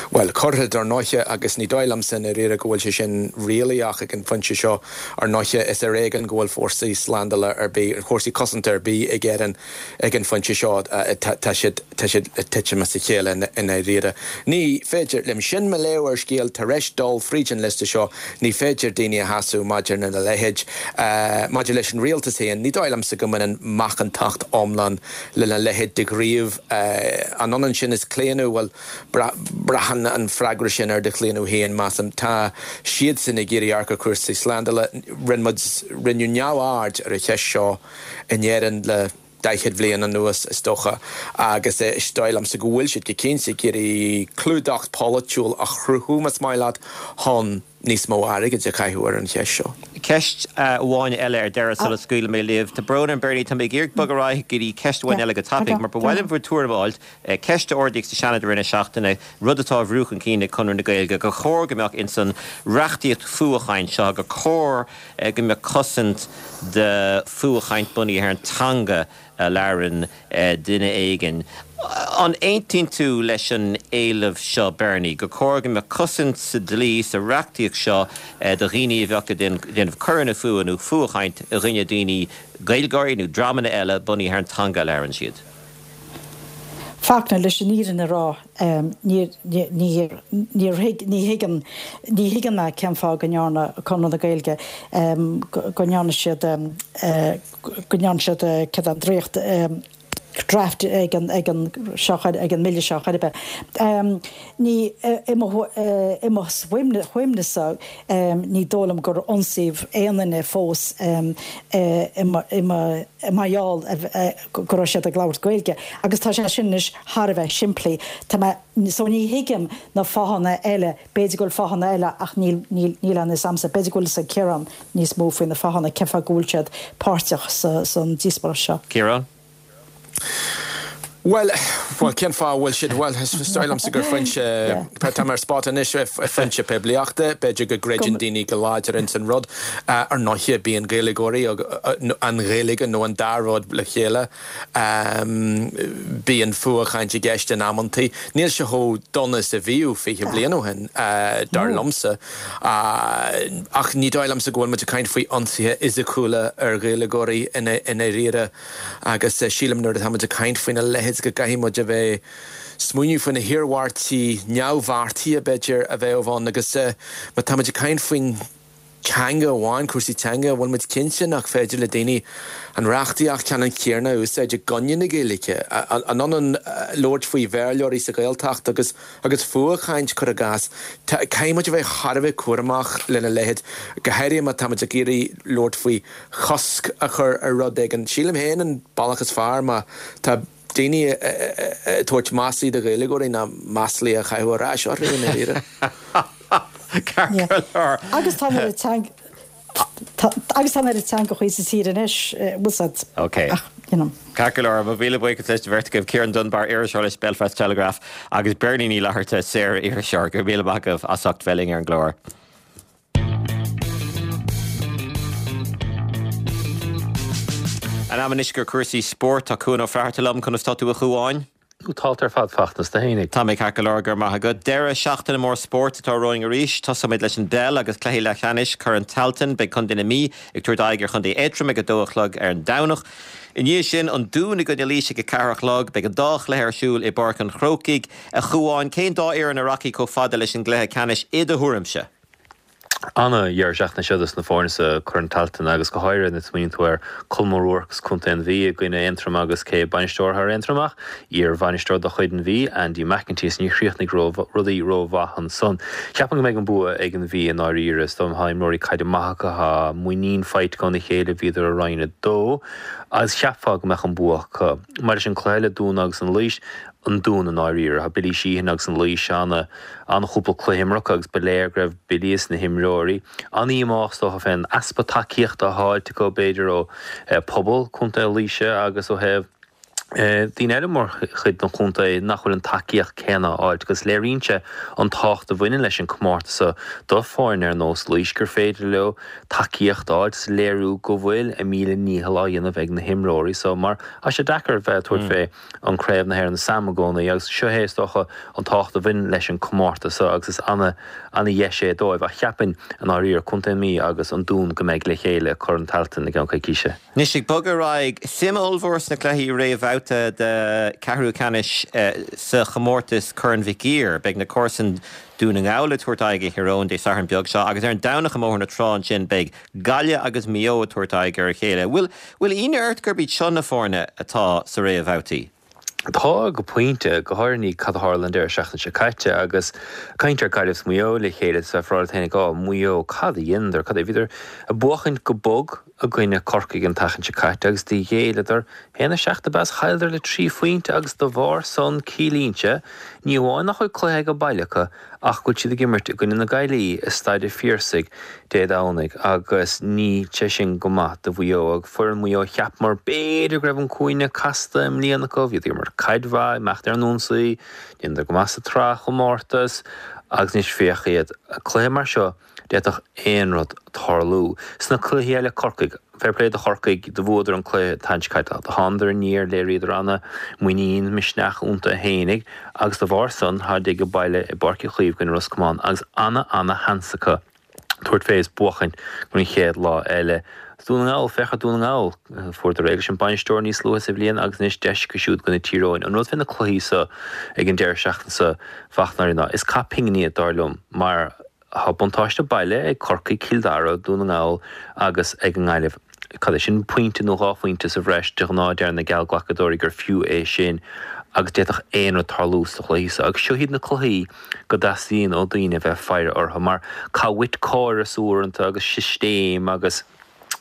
Bhuel, cuirfidh, ar ndóiche, agus ní dóigh liomsa i ndáiríre go bhfuil sé sin réalaíoch ag an phointe seo, ar ndóiche, is ar éigean go bhfuil fórsaí slándála ar bith, fórsaí cosanta ar bith ag Éirinn ag an phointe seo, tá siad, tá siad ag titim as a chéile i ndáiríre. Ní féidir liom, sin mo léamh ar scéal, tar éis dul fríd an liosta seo, ní féidir daoine a shásamh maidir lena leithéid. Maidir leis an rialtas féin, ní dóigh liomsa go mbaineann macántacht iomlán lena leithéid de ghníomh. An ionann sin is claonadh? Bhuel, braitheann an freagra sin ar do chlaonadh féin, measaim. Tá siadsan ag iarraidh amharc ar chúrsaí slándála. Rinne muid, rinneadh neamhaird ar an cheist seo in Éirinn le daichead bhliain anuas, is dócha, agus is dóigh liomsa go bhfuil siad go cinnte ag iarraidh clúdach polaitiúil a chruthú, más maith leat, chun níos mó airgid a chaitheamh ar an cheist seo. Ceist amháin eile ar deireadh sula scaoilfidh mé libh. Tá brón orm Bernie, tá mé ag iarraidh bogadh ar aghaidh go dtí ceist amháin eile go tapaidh mar ba mhaith liom bhur tuairim a fháilt. Ceist a ardaíodh sa Seanad i rith na seachtaine, rud atá á bhrú chun cinn ag Conradh na Gaeilge, gur chóir go mbeadh ins an reachtaíocht fuathchaint seo, gur chóir go mbeadh cosaint do fuathchaint bunaithe ar an teanga a labhrann duine éigin. An aontaíonn tú leis an éileamh seo, Bernie, gur chóir go mbeadh cosaint sa dlí, sa reachtaíocht seo do dhaoine a bheadh ag déanamh coireanna fuatha nó fuathchaint i gcoinne daoine, Gaeilgeoirí nó dreamanna eile, bunaithe ar an teanga a labhrann siad? Fachtna, leis an fhírinne a rá, ní thuigim, ní thuigim mé cén fáth go ndearna Conradh na Gaeilge, go ndearna siad, go ndearna siad, cad é an dréacht, draft ag an ag an seo ag an mbille seo chor ar bith. Ní i mo i mo chuimhne-sa ní dóigh liom gur ionsaíodh aon duine fós i mar gheall go raibh siad ag labhairt Gaeilge agus tá sé sin anois thar a bheith simplí. Tá mé so ní thuigim na fáthanna eile, b'fhéidir go bhfuil fáthanna eile ach níl níl níl a fhios a'msa, b'fhéidir go bhfuil fhios ag Ciarán níos mó faoi na fáthanna cén fáth go bhfuil siad páirteach sa san díospóireacht seo. Ciarán? Bhuel, bhuel, cén fáth a bhfuil siad, bhuel, is dóigh liomsa gur foinse, tá mé ar spot anois, foinse poiblíochta, b'fhéidir go gcreideann daoine go láidir ins an rud. Ar ndóighe, bíonn Gaeilgeoirí, an Ghaeilge nó an dá rud le chéile, bíonn fuathchaint i gceist in amantaí. Níl sé chomh dona is a bhíodh fiche bliain ó shin, dar liomsa. Ach ní dóigh liomsa go bhfuil muid ag caint faoi ionsaithe fhisiciúla ar Ghaeilgeoirí i ndáiríre agus sílim nuair atá muid ag caint faoina leithéid go gcaithfidh muid a bheith smaoineamh faoi na hiarmhairtí neamhbheartaithe b'fhéidir a bheadh ann agus má tá muid ag caint faoin teanga amháin, cúrsaí teanga, an bhfuil muid cinnte nach féidir le daoine an reachtaíocht ceannann céanna a úsáid i gcoinne na Gaeilge? An ionann labhairt faoi Bhéarlóirí sa Ghaeltacht agus agus fuathchaint, cuir i gcás? Caithfidh muid a bheith thar a bheith cúramach lena leithéid, go háirithe má tá muid ag iarraidh labhairt faoi chosc a chur ar rud éigin. Sílim féin an bealach is fearr má tá daoine ag tabhairt maslaí do Ghaeilgeoirí ná maslaí a chaitheamh ar ais orthu i ndáiríre. Ceart go leor. Agus tá an teanga agus tá an teanga sa tír anois bhfuil Ok. You know. Ceart go leor, mo mhíle buíochas leis an bheirt agaibh, Ciarán Dunbar, iriseoir leis Belfast Telegraph agus Beirní Ní Fhlatharta, saor-iriseoir. Go raibh míle maith agaibh as ucht bheith linn ar an gclár. An am anois gur cúrsaí spóirt, tá Cuan Ó Flatharta liom, conas tá tú a Chuáin? Tá ar fad Fachtna, is tú fhéinig. Tá mé ceart go leor, go raibh maith agat. Deireadh seachtaine mór spóirt atá romhainn arís. Tosóimid leis an bpeil agus cluichí leathcheannais Chorn Tailteann. Beidh Contae na Mí ag tabhairt aghaidh ar Chontae Aontroim ag a dó a chlog ar an Domhnach. I ndiaidh sin, an Dún i gcoinne Laois ag a ceathair a chlog. Beidh an dá chluiche ar siúl i bPáirc an Chrócaigh. A Chuáin, cén dá fhoireann a rachaidh chomh fada leis an gcluiche ceannais i do thuairimse? Ana-dheireadh seachtaine seo dos na foirne sa Chorn Tailteann agus go háirithe nuair a smaoiníonn tú ar Colm O'Rourke as Contae an Mhí i gcoinne Aontroim agus cé bainisteoir thar Aontroim ach iar-bhainisteoir de chuid an Mhí, Andy McEntee is níor chríochnaigh rudaí ró-mhaith ansan. Ceapaim go mbeidh an bua ag an Mhí i ndáiríre. Is dóigh tá imreoirí caide maith acu, tá muinín faighte acu óna chéile, bhíodar i Roinn a Dó agus cheapfá go mbeadh an bua acu. Maidir leis an cluiche eile, Dún agus an Laois, an Dún i ndáiríre. Tá Billy Sheehan agus an Laois ana an-chúpla cluiche imeartha agus ba léir go raibh Billy is na himreoirí an-dhíomách is dócha fén easpa tacaíochta atá faighte acu b'fhéidir ó pobal Contae Laoise agus ó thaobh daoine eile mar chuid den chontae nach bhfuil an tacaíocht céanna á fháilt agus léiríonn sé an tábhacht a bhaineann leis an comórtas seo do foirne ar nós Laois gur féidir leo tacaíocht a fháilt is léiriú go bhfuil a míle ndícheall á dhéanamh ag na himreoirí so mar tá sé deacair bheith ag tabhairt fé an Craobh na hÉireann Sam i gcónaí agus seo é is dócha an tábhacht a bhaineann leis an comórtas seo agus is ana ana dheis é dóibh ach cheapfainn i ndáiríre Contae na Mí agus an Dún go mbeidh le chéile i Corn Tailteann i gceann coicíse. Anois ag bogadh ar aghaidh, suim ollmhór sna cluichí réamhbhabhta de ceathrú ceannais sa chomórtas Corn Mhic Uidhir. Beidh na comharsain Dún na nGall ag tabhairt aghaidh ar Thír Eoghain Dé Sathairn beag seo agus ar an Domhnach i mBóthar na Trá ansin beidh Gaillimh agus Maigh Eo ag tabhairt aghaidh ar a chéile. Bhfuil bhfuil ionadh ort gurb iad seo na foirne atá sa réamhbhabhtaí? Tá, go pointe, go háirithe i ndiaidh cad a tharla an deireadh seachtaine seo caite agus caint ar Gaillimh is Maigh Eo le chéile is bheifeá ag rá leat féinig, Á, Maigh Eo, cad a dheineadar? Cad é? Bhíodar ag buachaint go bog i gcoinne Corcaigh an tseachtain seo caite agus do ghéilleadar haon a seacht ab ea is chailleadar le trí phointe agus de bharr san ciallaíonn sé ní amháin nach bhfuil cluiche age baile acu ach go bhfuil siad ag imirt i gcoinne na Gaillimhe i Staid a' Phiarsaigh Dé Domhnaigh agus níl sé sin go maith do Mhaigh Eo ag foireann Mhaigh Eo cheapamar b'fhéidir go raibh an cúinne casta i mbliana acu bhíodar ag imirt caid mhaith imeacht ar an ionsaí dheineadar go maith sa tsraith chomórtas agus anois féach iad cluiche mar seo D'fhéadfadh aon rud tarlú. Sna cluichí eile, Corcaigh, fair play do Chorcaigh, do bhuadar an cluiche an tseachtain seo caite. Do thánadar aniar, léiríodar ana muinín, misneach iontu fhéinig agus de bharr san, tháid age baile i bPáirc Uí Chaoimh i gcoinne Ros Comáin agus ana ana sheans acu tabhairt fé is buachaint go an chéad lá eile. Dún na nGall, féach ar Dún na nGall, fuaireadar réidh leis an bainisteoir níos luaithe sa bhliain agus anois deis acu siúd i gcoinne Tír Eoghain. An rud fé na cluichí so ag an deireadh seachtaine so, Fachtna, ná is cath pingine iad dar liom mar Tá buntáiste baile ag Corcaigh, Cill Dara, Dún na nGall agus ag an nGaillimh. cad é sin, pointe nó dhá phointe sa bhreis, de ghnáth deir na geallghlacadóirí gur fiú é sin agus d'fhéadfadh aon rud tarlú sa chluiche seo. Agus seo iad na cluichí go dteastaíonn ó daoine a bheith ag faire orthu mar caithfidh uait córas uaireanta agus sistéam agus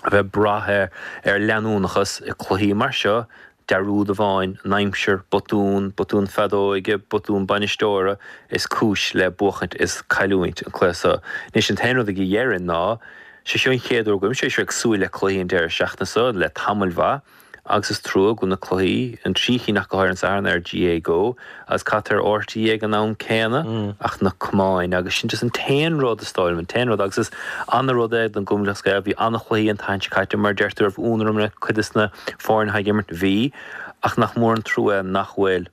a bheith ag brath ar leanúnachas i cluichí mar seo, dearúd amháin, an aimsir, botún, botún feadóige, botún bainisteora is cúis le buachaint is cailliúint an cluiche seo. Anois an t-aon rud a dhéarfainn ná, sé seo an chéad uair go bhfuil mise ag súil le cluichí an deireadh seachtaine seo le tamall mhaith agus is trua go bhfuil na cluichí, an trí chinn ach go háirithe an Satharn ar GAA Go agus cad tá ar RTÉ ag an am céanna ach na camáin agus sin just an t-aon rud is dóigh liom, an t-aon rud agus is ana-rud é don gCumann Lúthchleas Gael, bhí ana-chluichí an tseachtain seo caite mar deir tú raibh ionadh orm le cuid des na foirne atá ag imirt, bhí ach nach mór an trua nach bhfuil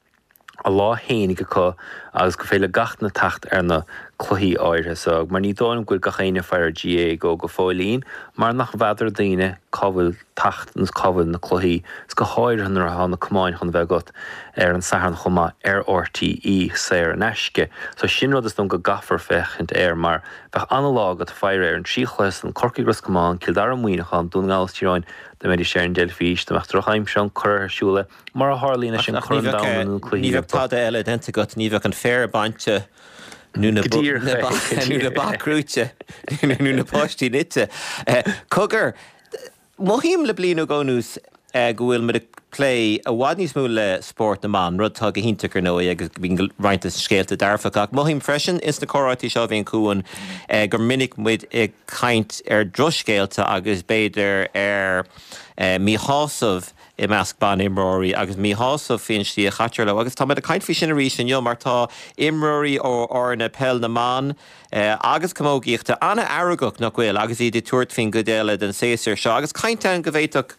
a lá fhéinig acu agus gur féidir le gach duine teacht ar na cluichí áirithe so, mar ní dóigh liom go bhfuil gach éinne ag faire ar GAA Go go fóillín mar nach bhfeadar daoine cá bhfuil teacht nó cá bhfuil na cluichí, is go háirithe nuair atá na camáin chun a bheith agat ar an Satharn chomh maith ar RTÉ saor in aisce. So sin rud is dóigh liom go gcaithfear féachaint air mar bheadh ana-lá agat faire ar an trí chluiche san, Corcaigh Ros Comáin, Cill Dara Muineachán, Dún na nGall is Tír Eoghain, dá mbeidís ar an dteilifís, dá mbeadh drochaimsir ann, cuir ar siúl é, mar a tharlaíonn leis an Chorn Domhanda nó cluichí. Ní bheadh tada eile déanta agat, ní bheadh an féar bainte nó na nó na ba crúite nó na páistí nite. Cogar, mothaím le bliain nó dhó anuas go bhfuil muid ag plé i bhfad níos mó le spórt na mban, rud atá go hiontach ar ndóigh agus bíonn roinnt de scéalta dearfacha, ach mothaím freisin ins na comhráití seo a bhíonn chugainn gur minic muid ag caint ar dhrochscéalta agus b'fhéidir ar míshásamh i measc ban-imreoirí agus míshásamh faoin slí a chaitear leo agus tá muid ag caint faoi sin arís inniu mar tá imreoirí ó fhoirne peil na mban agus camógaíochta an-fheargach, nach bhfuil, agus iad ag tabhairt faoin gcuid eile den séasúr seo agus caint ann go bhféadfadh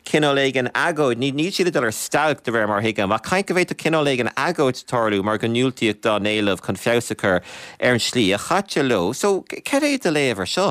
cineál éigin agóid, níl siad ag dul ar stailc de réir mar a thuigim, ach caint go bhféadfadh cineál éigin agóid tarlú mar go ndiúltaíodh dá n-éileamh chun feabhas a chur ar an slí a chaitear leo. So, cad é do léamh ar seo?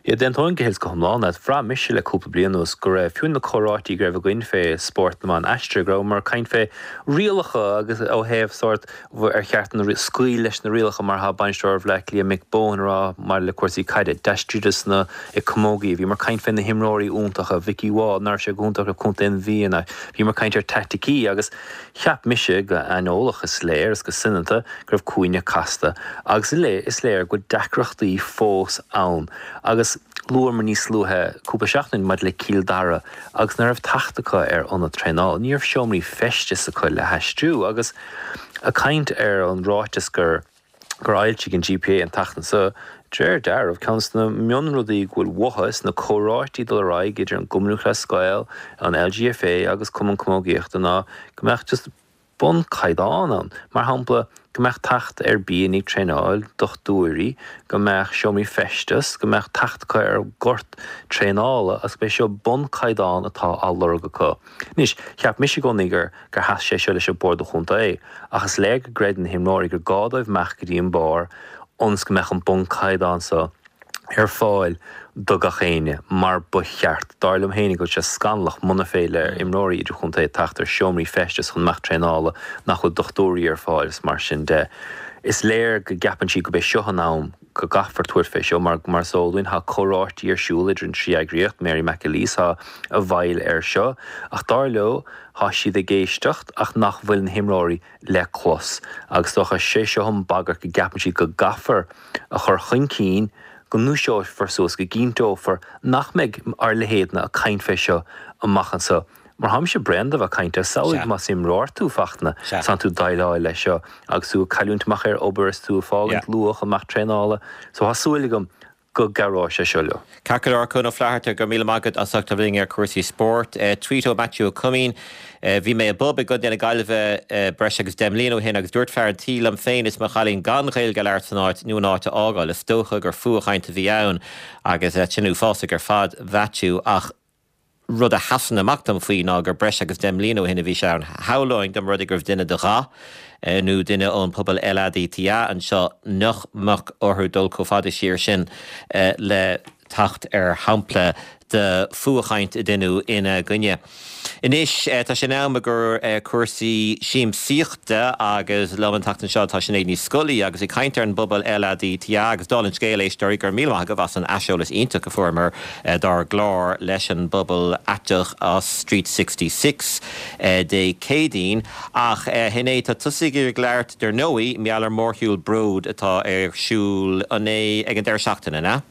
Yeah, d'aontóinn go huile is go hiomlán leat. Bhraith mise le cúpla bliain anuas go raibh, fiú na comhráití go raibh againn fé spórt na mban aistrithe, go rabhamar ag caint fé rialacha agus ó thaobh sórt ar cheart na scaoil leis na rialacha mar atá bainisteoir Bhaile Átha Cliath Mick Bohan a rá maidir le cúrsaí caide, d'aistrigh na i camógaí. Bhíomar ag caint fé na himreoirí iontacha, Vikki Wall, nach raibh sé go hiontach le Contae an Mhí, bhíomar ag caint ar taiticí agus cheap mise go haineolach is léir is go soineanta go raibh cúinne casta agus is léir go bhfuil deacrachtaí fós ann agus luamar níos luaithe cúpla seachtain maidir le Cill Dara agus nach raibh teacht acu ar ionad traenála, ní raibh seomraí feistis acu le haistriú agus ag caint ar an ráiteas gur gur fhoilsigh an GPA an tseachtain seo, de réir dealraimh, ceann de na mionrudaí go bhfuil uathu sna comhráití dul ar aghaidh idir an gCumann Lúthchleas Gael, an LGFA agus Cumann Camógaíochta ná go mbeadh just bunchaighdeán ann, mar shampla, go mbeadh teacht ar bia i ndiaidh traenáil, dochtúirí, go mbeadh seomraí feistis, go mbeadh teacht acu ar ghort traenála agus go mbeidh seo bunchaighdeán atá á lorg acu. Anois, cheap mise i gcónaí gur gur sheas sé seo leis an Bord Chontae, ach is léir go gcreideann na himreoirí gur gá dóibh imeacht go dtí an barr ionas go mbeadh an bunchaighdeán seo ar fáil do gach éinne, mar ba cheart. Dar liom féinig go bhfuil sé scannalach muna féidir le imreoirí idirchontae teacht ar seomraí feistis chun imeacht traenála, nach bhfuil dochtúirí ar fáil is mar sin de. Is léir go gceapann siad gurb é seo an am go gcaithfear tabhairt fé seo mar, mar is eol dúinn, tá comhráití ar siúl idir an trí eagraíocht, Mary McAleese tá i bhfeighil air seo, ach dar leo, tá siad ag éisteacht ach nach bhfuil na himreoirí le clos agus is dócha sé seo an bagairt go gceapann siad go gcaithfear a chur chun cinn go ndúiseofar suas, go gcinnteofar nach mbeidh ár leithéidne ag caint fé seo amach anseo. Mar táimse bréan de bheith ag caint air. Samhlaigh más imreoir tú, Fachtna, tánn tú ag déileáil leis seo agus tú ag cailliúint amach ar obair is tú ag fágaint luath chun imeacht traenála. So tá súil agam go gcabhróidh sé seo leo. Ceart go leor, Cuan Ó Flatharta, go raibh míle maith agat as ucht a bheith linn ar chúrsaí spóirt. Tweet ó Matthew Ó Coimín, Bhí mé i bpub i gContae na Gaillimhe breis agus deich mbliana ó shin agus dúirt fear an tí liom féin is mo chailín gan Ghaeilge a labhairt san áit nó an áit a fhágáil. Is dócha gur fuathchaint a bhí ann agus sin uafásach ar fad Mhaitiú ach rud a sheasann amach dom faoi ná gur breis agus deich mbliana ó shin a bhí sé ann. Shamhlóinn dá mba rud é go raibh duine de dhath nó duine ón pobal LADTA anseo nach mbeadh orthu dul chomh fada siar sin le teacht ar shampla de fuathchaint a deineadh ina gcoinne. Anois tá sé in am gur cúrsaí siamsaíochta agus liom an tseachtain seo tá Sinéad Ní Scolaí agus ag caint ar an bpobal LADTA agus dála an scéil éisteoirí go raibh míle maith agaibh as an aiseolas iontach a fuaireamar dár gclár leis an bpobal aiteach as Street Sixty Six Dé Céadaoin. Ach Shinéad tá tusa ag iarraidh labhairt dar ndóigh mar gheall ar mhórshiúl Bród atá ar siúl an é ag an deireadh seachtaine, an ea?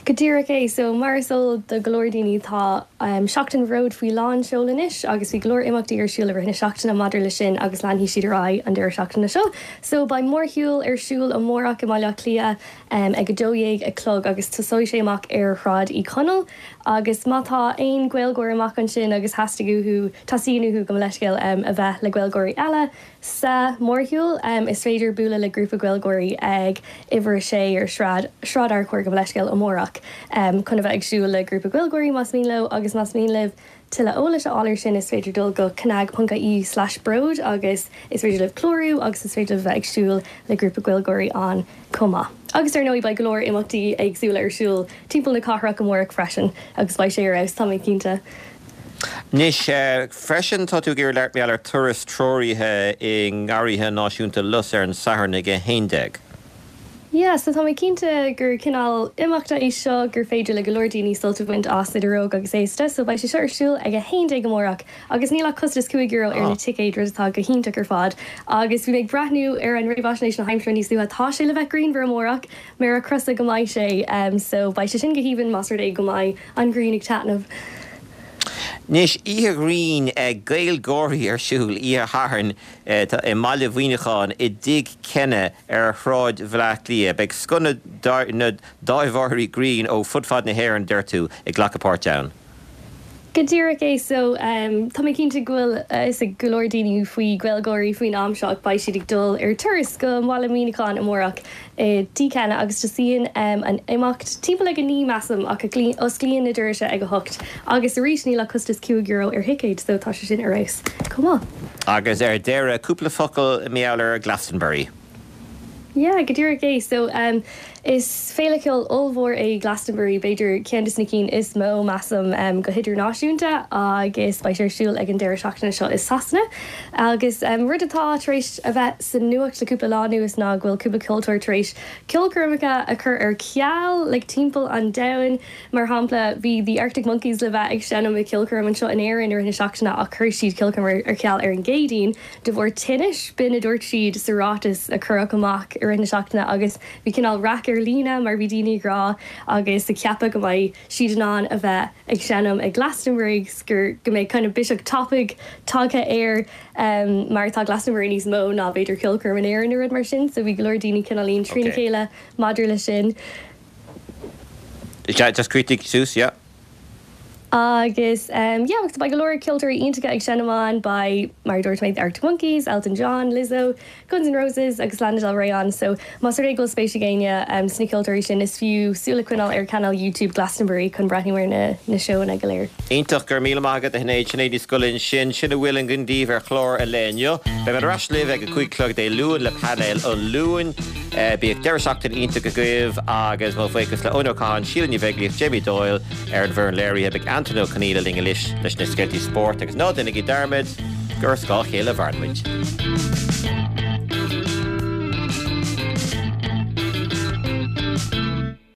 Go díreach é. So, mar is eol do go leor daoine, tá Seachtain Bhróid faoi lán seoil anois agus bhí go leor imeachtaí ar siúl i rith na seachtaine maidir leis sin agus leanfaidh siad ar aghaidh an deireadh seachtaine seo. So, beidh mórshiúl ar siúl amárach i mBaile Átha Cliath ag a dó dhéag a chlog agus tosóidh sé amach ar Shráid Uí Chonaill agus má tá aon Ghaeilgeoir amach ansin agus theastaigh uathu, teastaíonn uathu gabh mo leithscéal, a bheith le Gaeilgeoirí eile, Sa mhórshiúl, is féidir bualadh le grúpa Gaeilgeoirí ag uimhir a sé ar Shráid Sráid Fhearchair, gabh mo leithscéal, amárach chun a bheith ag siúl le grúpa Gaeilgeoirí más mian leo agus más mian libh tuilleadh eolais a fháil ar sin is féidir dul go cnag ponc ie slash bród agus is féidir libh clárú agus is féidir libh a bheith ag siúl le grúpa Gaeilgeoirí ann chomh maith. Agus ar ndóigh beidh go leor imeachtaí éagsúla ar siúl timpeall na cathrach amárach freisin agus beidh sé ar fheabhas, tá mé cinnte. Anois, freisin, tá tú ag iarraidh labhairt mar gheall ar turas treoraithe i nGarraithe Náisiúnta Lus ar an Satharn ag a haon déag. Yeah, so tá mé cinnte gur cineál imeachta é seo gur féidir le go leor daoine sult a bhaint as, idir óg agus aosta. So beidh sé seo ar siúl ag a haon déag amárach agus níl ach costas cúig euro ar na ticéid, rud atá go hiontach ar fad. Agus bhí mé ag breathnú ar an réamhaisnéis na haimsire níos luaithe, tá sé le bheith grianmhar amárach, méara crosa go mbeidh sé. So beidh sé sin go haoibhinn más rud é go mbeidh an ghrian ag taitneamh. Anois, oíche ghrinn GaelGÁIRÍ ar siúl oíche Shathairn i mbaile Mhuineacháin i dTigh Kenna ar Shráid Bhaile Átha Cliath. Beidh scoth na dtaibheoirí grinn ó fud fad na hÉireann, deir tú, ag glacadh páirt ann. Go díreach é. So, tá mé cinnte go bhfuil a fhios ag go leor daoine faoi GaelGÁIRÍ faoin am seo ach beidh siad ag dul ar turas go Baile Mhuineacháin amárach i dTigh Kenna agus tosaíonn an imeacht timpeall ag a naoi measaim ach osclaíonn na doirse ag a hocht agus arís níl ach costas cúig euro ar thicéid so tá sé sin ar fheabhas chomh maith. Agus ar deireadh, cúpla focal mar gheall ar Glastonbury. Yeah, go díreach é. So, is féile ceoil ollmhór é Glastonbury, b'fhéidir ceann de na cinn is mó, measaim, go hidirnáisiúnta agus beidh sé ar siúl ag an deireadh seachtaine seo i Sasana. Agus rud atá tar éis a bheith sa nuacht le cúpla lá anuas ná go bhfuil cúpla ceoltóir tar éis ceolchoirmeacha a chur ar ceal, like timpeall an domhain. Mar shampla, bhí The Arctic Monkeys le bheith ag seinm ag ceolchoirm anseo in Éirinn i rith na seachtaine ach chuir siad ceolchoirm ar ceal ar an gCéadaoin de bharr tinnis, b'in a dúirt siad sa ráiteas a cuireadh amach i rith na seachtaine agus bhí cineál raic ar líne mar bhí daoine ag rá agus ag ceapadh go mbeidh siad in ann a bheith ag seinm ag Glastonbury agus gur go mbeidh kind of biseach tapaidh tagtha air mar tá Glastonbury níos mó ná b'fhéidir ceolchoirm in Éirinn nó rud mar sin so bhí go leor daoine cineáilín trína chéile maidir leis sin. Just críochnaigh suas, yeah. Agus yeah, agus beidh go leor ceoltóirí iontacha ag seinm ann, beidh, mar a dúirt mé, The Arctic Monkeys, Elton John, Lizzo, Guns N' Roses agus Lana Del Rey ann. So más rud é go bhfuil spéis ag éinne sna ceoltóirí sin, is fiú súil a choinneáil ar chainéal YouTube Glastonbury chun breathnú ar na na seóanna go léir. Iontach, go raibh míle maith agat a Shinéad, Sinéad Ní Scolaí ansin. Sin a bhfuil againn daoibh ar chlár an lae inniu. Beidh mé ar ais libh ag a cúig a chlog Dé Luain le painéal an Luain. Bíodh deireadh seachtaine iontach agaibh agus mo bhuíochas le Eoin Ó Catháin, Síle Ní Bheaglaoich, Jamie Doyle ar an bhfoireann léirithe. Beidh Antain Ó Conghaile linn anois leis na scéaltaí spóirt agus ná déanaigí dearmad gur ar scáth a chéile a mhaireann muid.